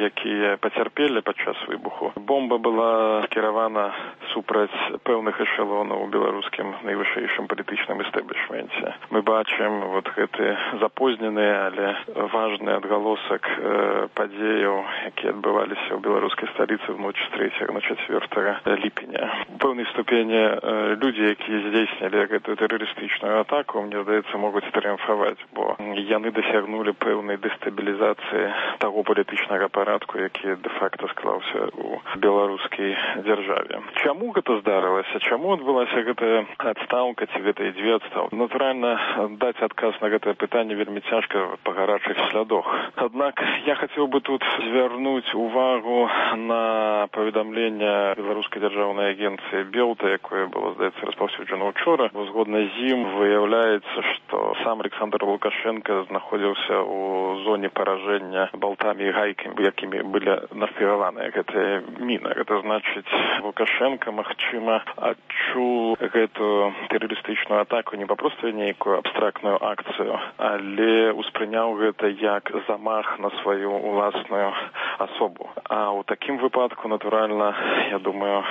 якія потерпели подчас выбуху. Бомба была скіравана супраць пэўных эшелонаў у беларускім найвышэйшым палітычным эстаблішменце. Мы бачым вот гэты запознены, але важны адгалосак э, падзеяў, якія адбываліся ў беларускай сталіцы в ноч з трэцяга на чацвёртага ліпеня. У пэўнай ступені э, людзі, якія здзейснілі гэтую тэрарыстычную атаку, мне здаецца, могуць трыумфаваць, бо яны дасягнулі пэўнай дэстабілізацыі таго палітычнага парадку, які дэ-факта склаўся ў беларускай дзяржаве. Чаму гэта здарылася? Чаму адбылася гэтая адстаўка, ці гэта і дзве адстаўкі? Натуральна, даць адказ на гэтае пытанне вельмі цяжка па гарачых слядах. Аднак я хацеў бы тут звярнуць увагу на паведамленне беларускай дзяржаўнай агенцыі Белта, якое было, здаецца, распаўсюджана ўчора. Згодна з ім выяўляецца, што сам Александр Лукашенко знаходзіўся у зоне паражэння болтамі і гайкамі, якімі былі нафігаваныя гэтыя міны. Гэта значыць, Лукашенко, магчыма, адчуў гэту тэрарыстычную атаку не папросту нейкую абстрактную акцыю, але успрыняў гэта як замах на сваю уласную асобу. А ў такім выпадку, натуральна, я думаю,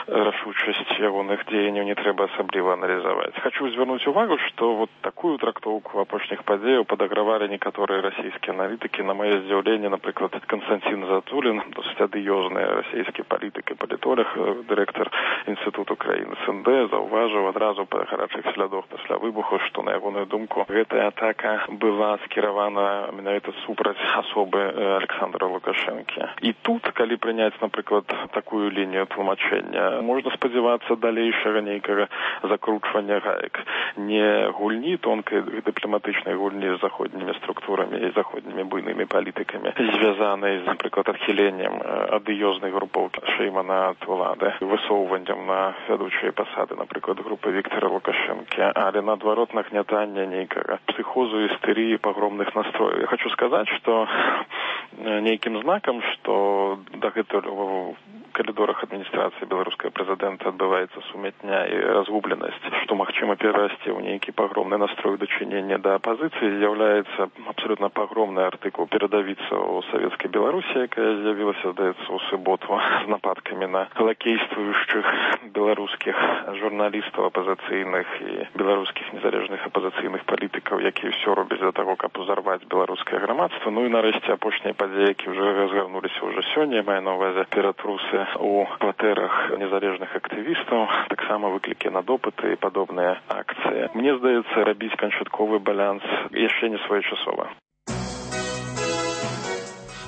рашучасць ягоных дзеянняў не трэба асабліва аналізаваць. Хочу звярнуць увагу, што вот такую трактоўку апошніх падзеяў падагравалі некаторыя расійскія аналітыкі. На маё здзіўленне, напрыклад, Константин Затулин, досыць адыёзны расійскі палітык і палітолог, дырэктар Інстытуту краін СНД, заўважыў адразу па гарачых слядах пасля выбуху, што, на ягоную думку, гэтая атака была скіравана менавіта супраць асобы Александра Лукашэнкі. І тут, калі прыняць, напрыклад, такую лінію тлумачэння, можна спадзявацца далейшага нейкага закручвання гаек. Не гульні, тонкай дыпламатычнай гульні з заходнімі структурамі і заходнімі буйнымі палітыкамі, звязанай, напрыклад, адхіленнем адыёзнай групоўкі Шеймана ад улады, высоўваннем на вядучыя пасады, напрыклад, групы Віктора Лукашэнкі, але наадварот нагнятання нейкага псіхозу, істэрыі, пагромных настрояў. Я хочу сказаць, што нейкім знакам, што дагэтуль у калідорах адміністрацыі беларускага прэзідэнта адбываецца сумятня і разгубленасць, што магчыма перарасці ў нейкі пагромны настрой дачынення да апазіцыі, з'яўляецца абсолютно пагромны артыкул перадавіца ў савецкай Беларусі, якая з'явілася, здаецца, у суботу з нападкамі на лакействуючых беларускіх журналістаў апазіцыйных і беларускіх незалежных апазіцыйных палітыкаў, якія ўсё робяць для таго, каб узарваць беларускае грамадства. Ну і нарэшце апошнія падзеі, які ўжо разгарнуліся ўжо сёння, маю на ўвазе ператрусы у кватэрах незалежных актывістаў, таксама выклікі на допыты і падобныя акцыі. Мне здаецца, рабіць канчатковы баланс яшчэ не своечасова.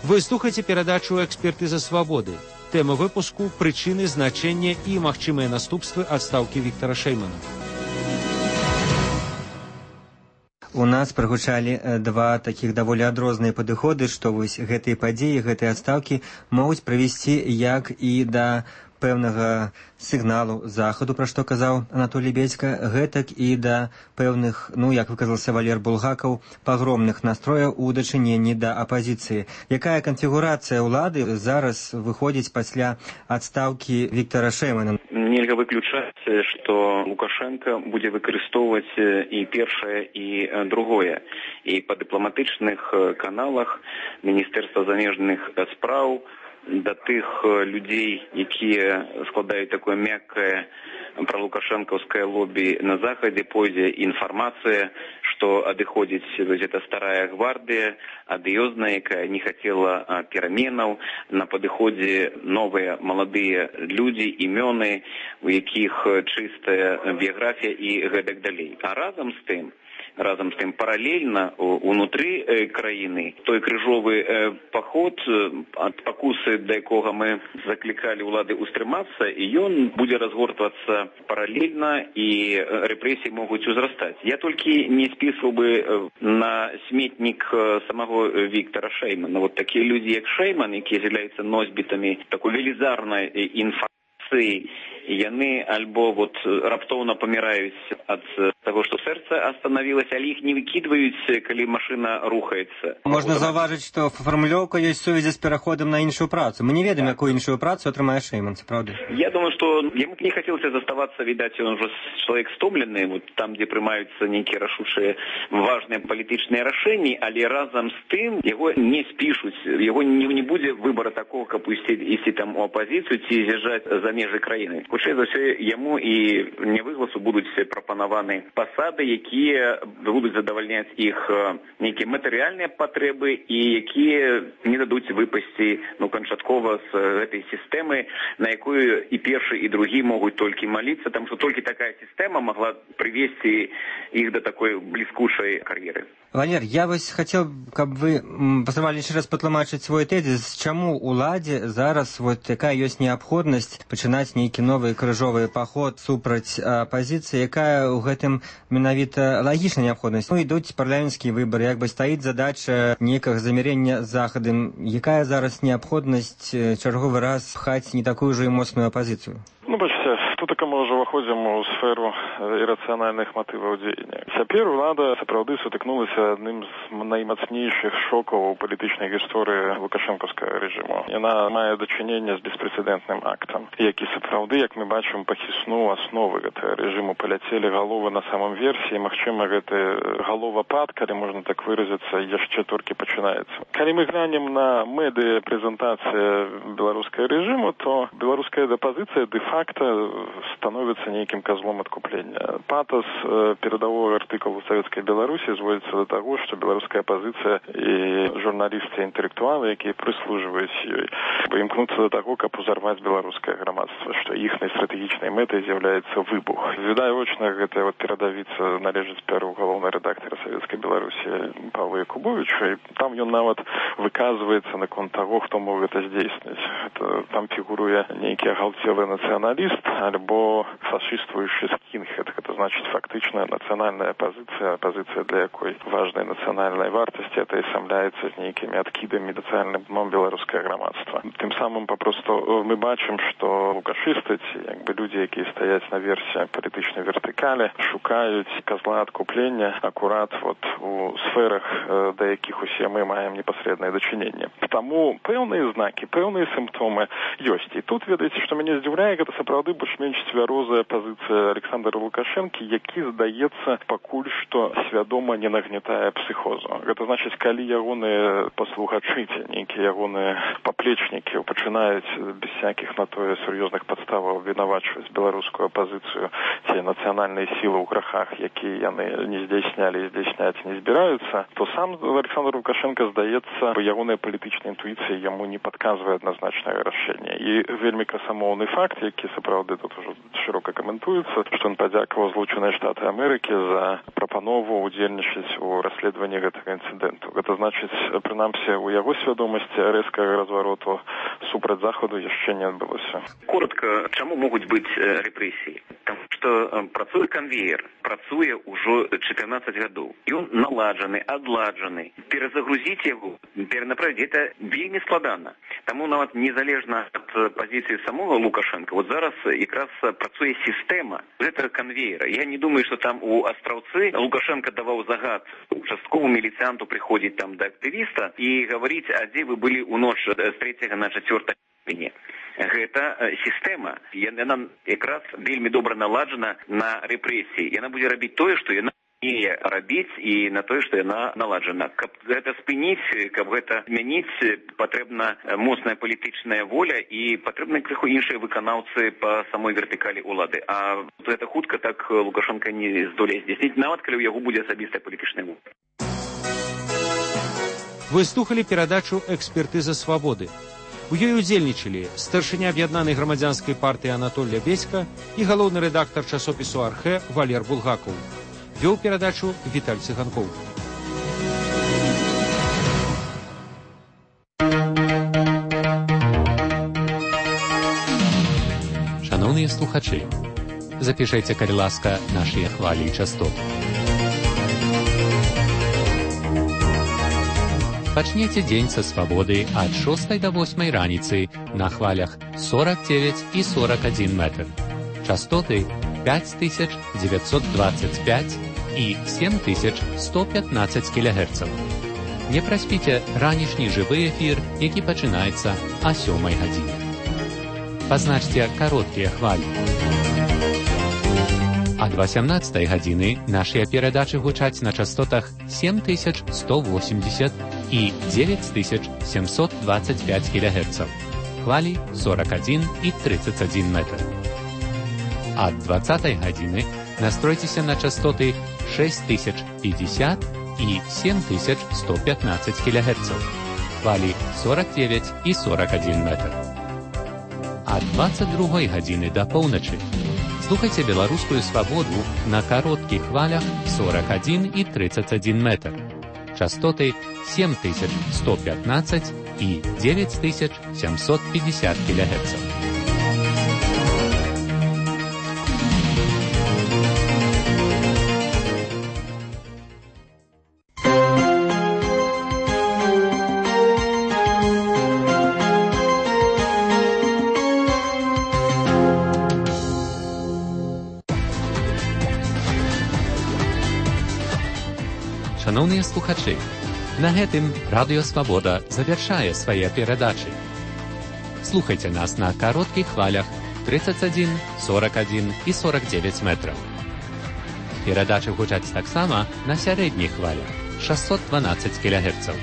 Вы слухаеце перадачу «Экспертыза свабоды». Тэма выпуску – прычыны, значэнне і магчымыя наступствы адстаўкі Віктара Шеймана. У нас прагучалі два такіх даволі адрозныя падыходы, што вось гэтыя падзеі, гэтыя адстаўкі могуць прывесці як і да пэўнага сігналу захаду, пра што казаў Анатолій Бедзька, гэтак і да пэўных, ну, як выказаўся Валер Булгакаў, пагромных настрояў у дачыненні да апазіцыі. Якая канфігурацыя ўлады зараз выходзіць пасля адстаўкі Віктара Шеймана? Нельга выключаць, што Лукашенко будзе выкарыстоўваць і першае, і другое. І па дыпламатычных каналах Міністэрства замежных спраў да тых людзей, якія складаюць такое мяккае пралукашэнкаўскае лобі на захадзе, пойдзе інфармацыя, што адыходзіць гэта старая гвардыя, адыёзная, якая не хацела пераменаў, на падыходзе новыя маладыя людзі, імёны, у якіх чыстая біяграфія і гэтак далей. А разам з тым, разам з тым паралельна унутры краіны той крыжовы паход, ад пакусы, да якога мы заклікалі ўлады ўстрымацца, і ён будзе разгортвацца паралельна, і рэпрэсіі могуць узрастаць. Я толькі не спісваў бы на сметнік самого Віктара Шеймана. Вот такія людзі, як Шейман, якія з'яўляюцца носьбітамі такой велізарнай інфармацыі, яны альбо вот раптоўна паміраюць ад таго, што сэрца астанавілася, але іх не выкідваюць, калі машына рухаецца. Можна заўважыць, што фармулёўка ёсць сувязі з пераходам на іншую працу. Мы не ведаем, якую іншую працу атрымае Шейман, правда? Я думаю, што яму не хацелася заставацца, відаць, ён ужо чалавек стомлены, вот там, дзе прымаюцца нейкія рашучыя важныя палітычныя рашэнні, але разам з тым яго не спішуць, яго не, не будзе выбара такого, каб ісці, ісці там у апазіцыю ці з'язджаць за межы краіны. Хутчэй за ўсё, яму і Нявыгласу будуць прапанаваны пасады, якія будуць задавальняць іх нейкія матэрыяльныя патрэбы і якія не дадуць выпасці, ну, канчаткова з гэтай сістэмы, на якую і першы, і другі могуць толькі маліцца, таму што толькі такая сістэма магла прывесці іх да такой бліскучай кар'еры. Валер, я вось хацеў, каб вы паспрабавалі яшчэ раз патлумачыць свой тэзіс, чаму уладзе зараз вот якая ёсць неабходнасць пачынаць нейкі новы крыжовы паход супраць апазіцыі, якая ў гэтым менавіта лагічная неабходнасць. Ну, ідуць парламенцкія выбары, як бы стаіць задача нейкага замірення з захадам. Якая зараз неабходнасць чарговы раз пхаць не такую ж і моцную апазіцыю? Ну, бачыце, тут мы ўжо выходзім у сферу сферу ірацыянальных матываў дзеяння. Цяпер улада сапраўды сутыкнулася адным з наймацнейшых шокаў у палітычнай гісторыі лукашэнкаўскага рэжыму. Яна мае дачыненне з беспрэцэдэнтным актам, які сапраўды, як мы бачым, пахіснуў асновы гэтага рэжыму, паляцелі галовы на самом версе, і, магчыма, гэты галовапад, калі можна так выразіцца, яшчэ толькі пачынаецца. Калі мы глянем на медыа прэзентацыі беларускага рэжыму, то беларуская апозіцыя дэ-факта становіцца нейкім козлом адкуплення. Патас перадавого артыкулу Савецкай Беларусі зводзіцца да таго, што беларуская апозіцыя і журналісты, інтэлектуалы, якія прыслужваюць ёй, імкнуцца да таго, каб узарваць беларускае грамадства, што іхнай стратэгічнай мэтай з'яўляецца выбух. Відавочна, гэта вот перадавіца належыць перу галоўнай рэдактара Савецкай Беларусі Павла Якубовича, і там ён нават выказваецца наконт таго, хто мог гэта здзейсніць. Там фігуруе нейкі агалтелы нацыяналіст альбо фашыствуючы скінхед. Гэта значыць фактычная нацыянальная апозіцыя, апозіцыя, для якой важнай нацыянальнай вартасці это асамляецца з нейкімі адкідамі нацыянальным дном беларускае грамадства. Тым самым папросту мы бачым, што лукашысты, як бы людзі, якія стаяць на версе палітычнай вертыкалі, шукаюць козла адкуплення акурат вот у сферах, да якіх усе мы маем непасрэднае дачыненне. Таму пэўныя знакі, пэўныя сімптомы ёсць. І тут, ведаеце, што мяне здзіўляе, гэта сапраўды больш-менш цвярозая пазіцыя Александра Лукашэнкі, які, здаецца, пакуль што свядома не нагнятае псіхозу. Гэта значыць, калі ягоныя паслухачы, нейкія ягоныя паплечнікі пачынаюць без всякіх на тое сур'ёзных падставаў вінавачваць беларускую апозіцыю ці нацыянальныя сілы ў грахах, якія яны не здзейснялі і здзейсняць не збіраюцца, то сам Александр Лукашенко, здаецца, ягоная палітычная інтуіцыя яму не падказвае адназначнае рашэнне. І вельмі красамоўны факт, які сапраўды тут ужо шырока каментуецца, што ён падзякаваў Злучаныя Штаты Амерыкі за прапанову удзельнічаць у расследаванні гэтага інцыдэнту. Гэта значыць, прынамсі, у яго свядомасці рэзкага развароту супраць Захаду яшчэ не адбылося. Коротко, чаму могуць быць рэпрэсіі? Таму што працуе канвеер, працуе ўжо чатырнаццаць гадоў. Ён наладжаны, адладжаны. Перазагрузіць яго, перанаправіць, гэта вельмі складана. Таму нават незалежна ад пазіцыі самого Лукашенко, вот зараз якраз працуе сістэма гэтага канвеера. Я не думаю, што там у Астраўцы Лукашенко даваў загад участковому міліцыянту прыходзіць там да актывіста і гаварыць, а дзе вы былі ў ноч з трэцяга на чацвёртае ліпеня. Гэта сістэма. Яна якраз вельмі добра наладжана на рэпрэсіі. Яна будзе рабіць тое, што яна не рабіць, і на тое, што яна наладжана. Каб гэта спыніць, каб гэта змяніць, патрэбна моцная палітычная воля і патрэбны крыху іншыя выканаўцы па самой вертыкалі ўлады. А гэта хутка так Лукашенко не здолее здзейсніць, нават калі ў яго будзе асабістая палітычная воля. Вы слухали перадачу «Экспертыза свабоды». У ёй удзельнічалі старшыня аб'яднанай грамадзянскай партыі Анатолля Беська і галоўны рэдактар часопісу «Архэ» Валер Булгакаў. Вёў перадачу Віталь Цыганкоў. Шановныя слухачы, запішайце, калі ласка, нашыя хвалі і частоты. Пачнеце дзень са свабоды ад шостай да восьмай раніцы на хвалях сорок девять і сорок один метр. Частоты пять тысяч девятьсот двадцать пять і семь тысяч сто пятнадцать кілогерцаў. Не праспіце ранішні жывы эфір, які пачынаецца а сёмай гадзіне. Пазначце кароткія хвалі. Ад восемнадцатай гадзіны нашыя перадачы гучаць на частотах семь тысяч сто восемьдесят і девять тысяч семьсот двадцать пять кілогерцаў. Хвалі сорок один і тридцать один метр. Ад двадцатай гадзіны настройцеся на частоты шесть тысяч пятьдесят і семь тысяч сто пятнадцать кілогерцаў. Хвалі сорок девять і сорок один метр. Ад двадцать другой гадзіны да поўначы слухайце беларускую свабоду на кароткіх хвалях сорок один і тридцать один метр. Частоты семь тысяч сто пятнадцать і девять тысяч семьсот пятьдесят килогерцев. Шановныя слухачы, на гэтым Радыё Свабода завяршае свае перадачы. Слухайце нас на кароткіх хвалях тридцать один, сорок один і сорок девять метраў. Перадачы гучаць таксама на сярэдніх хвалях шестьсот двенадцать кілогерцаў.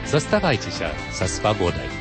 Заставайцеся са свабодай.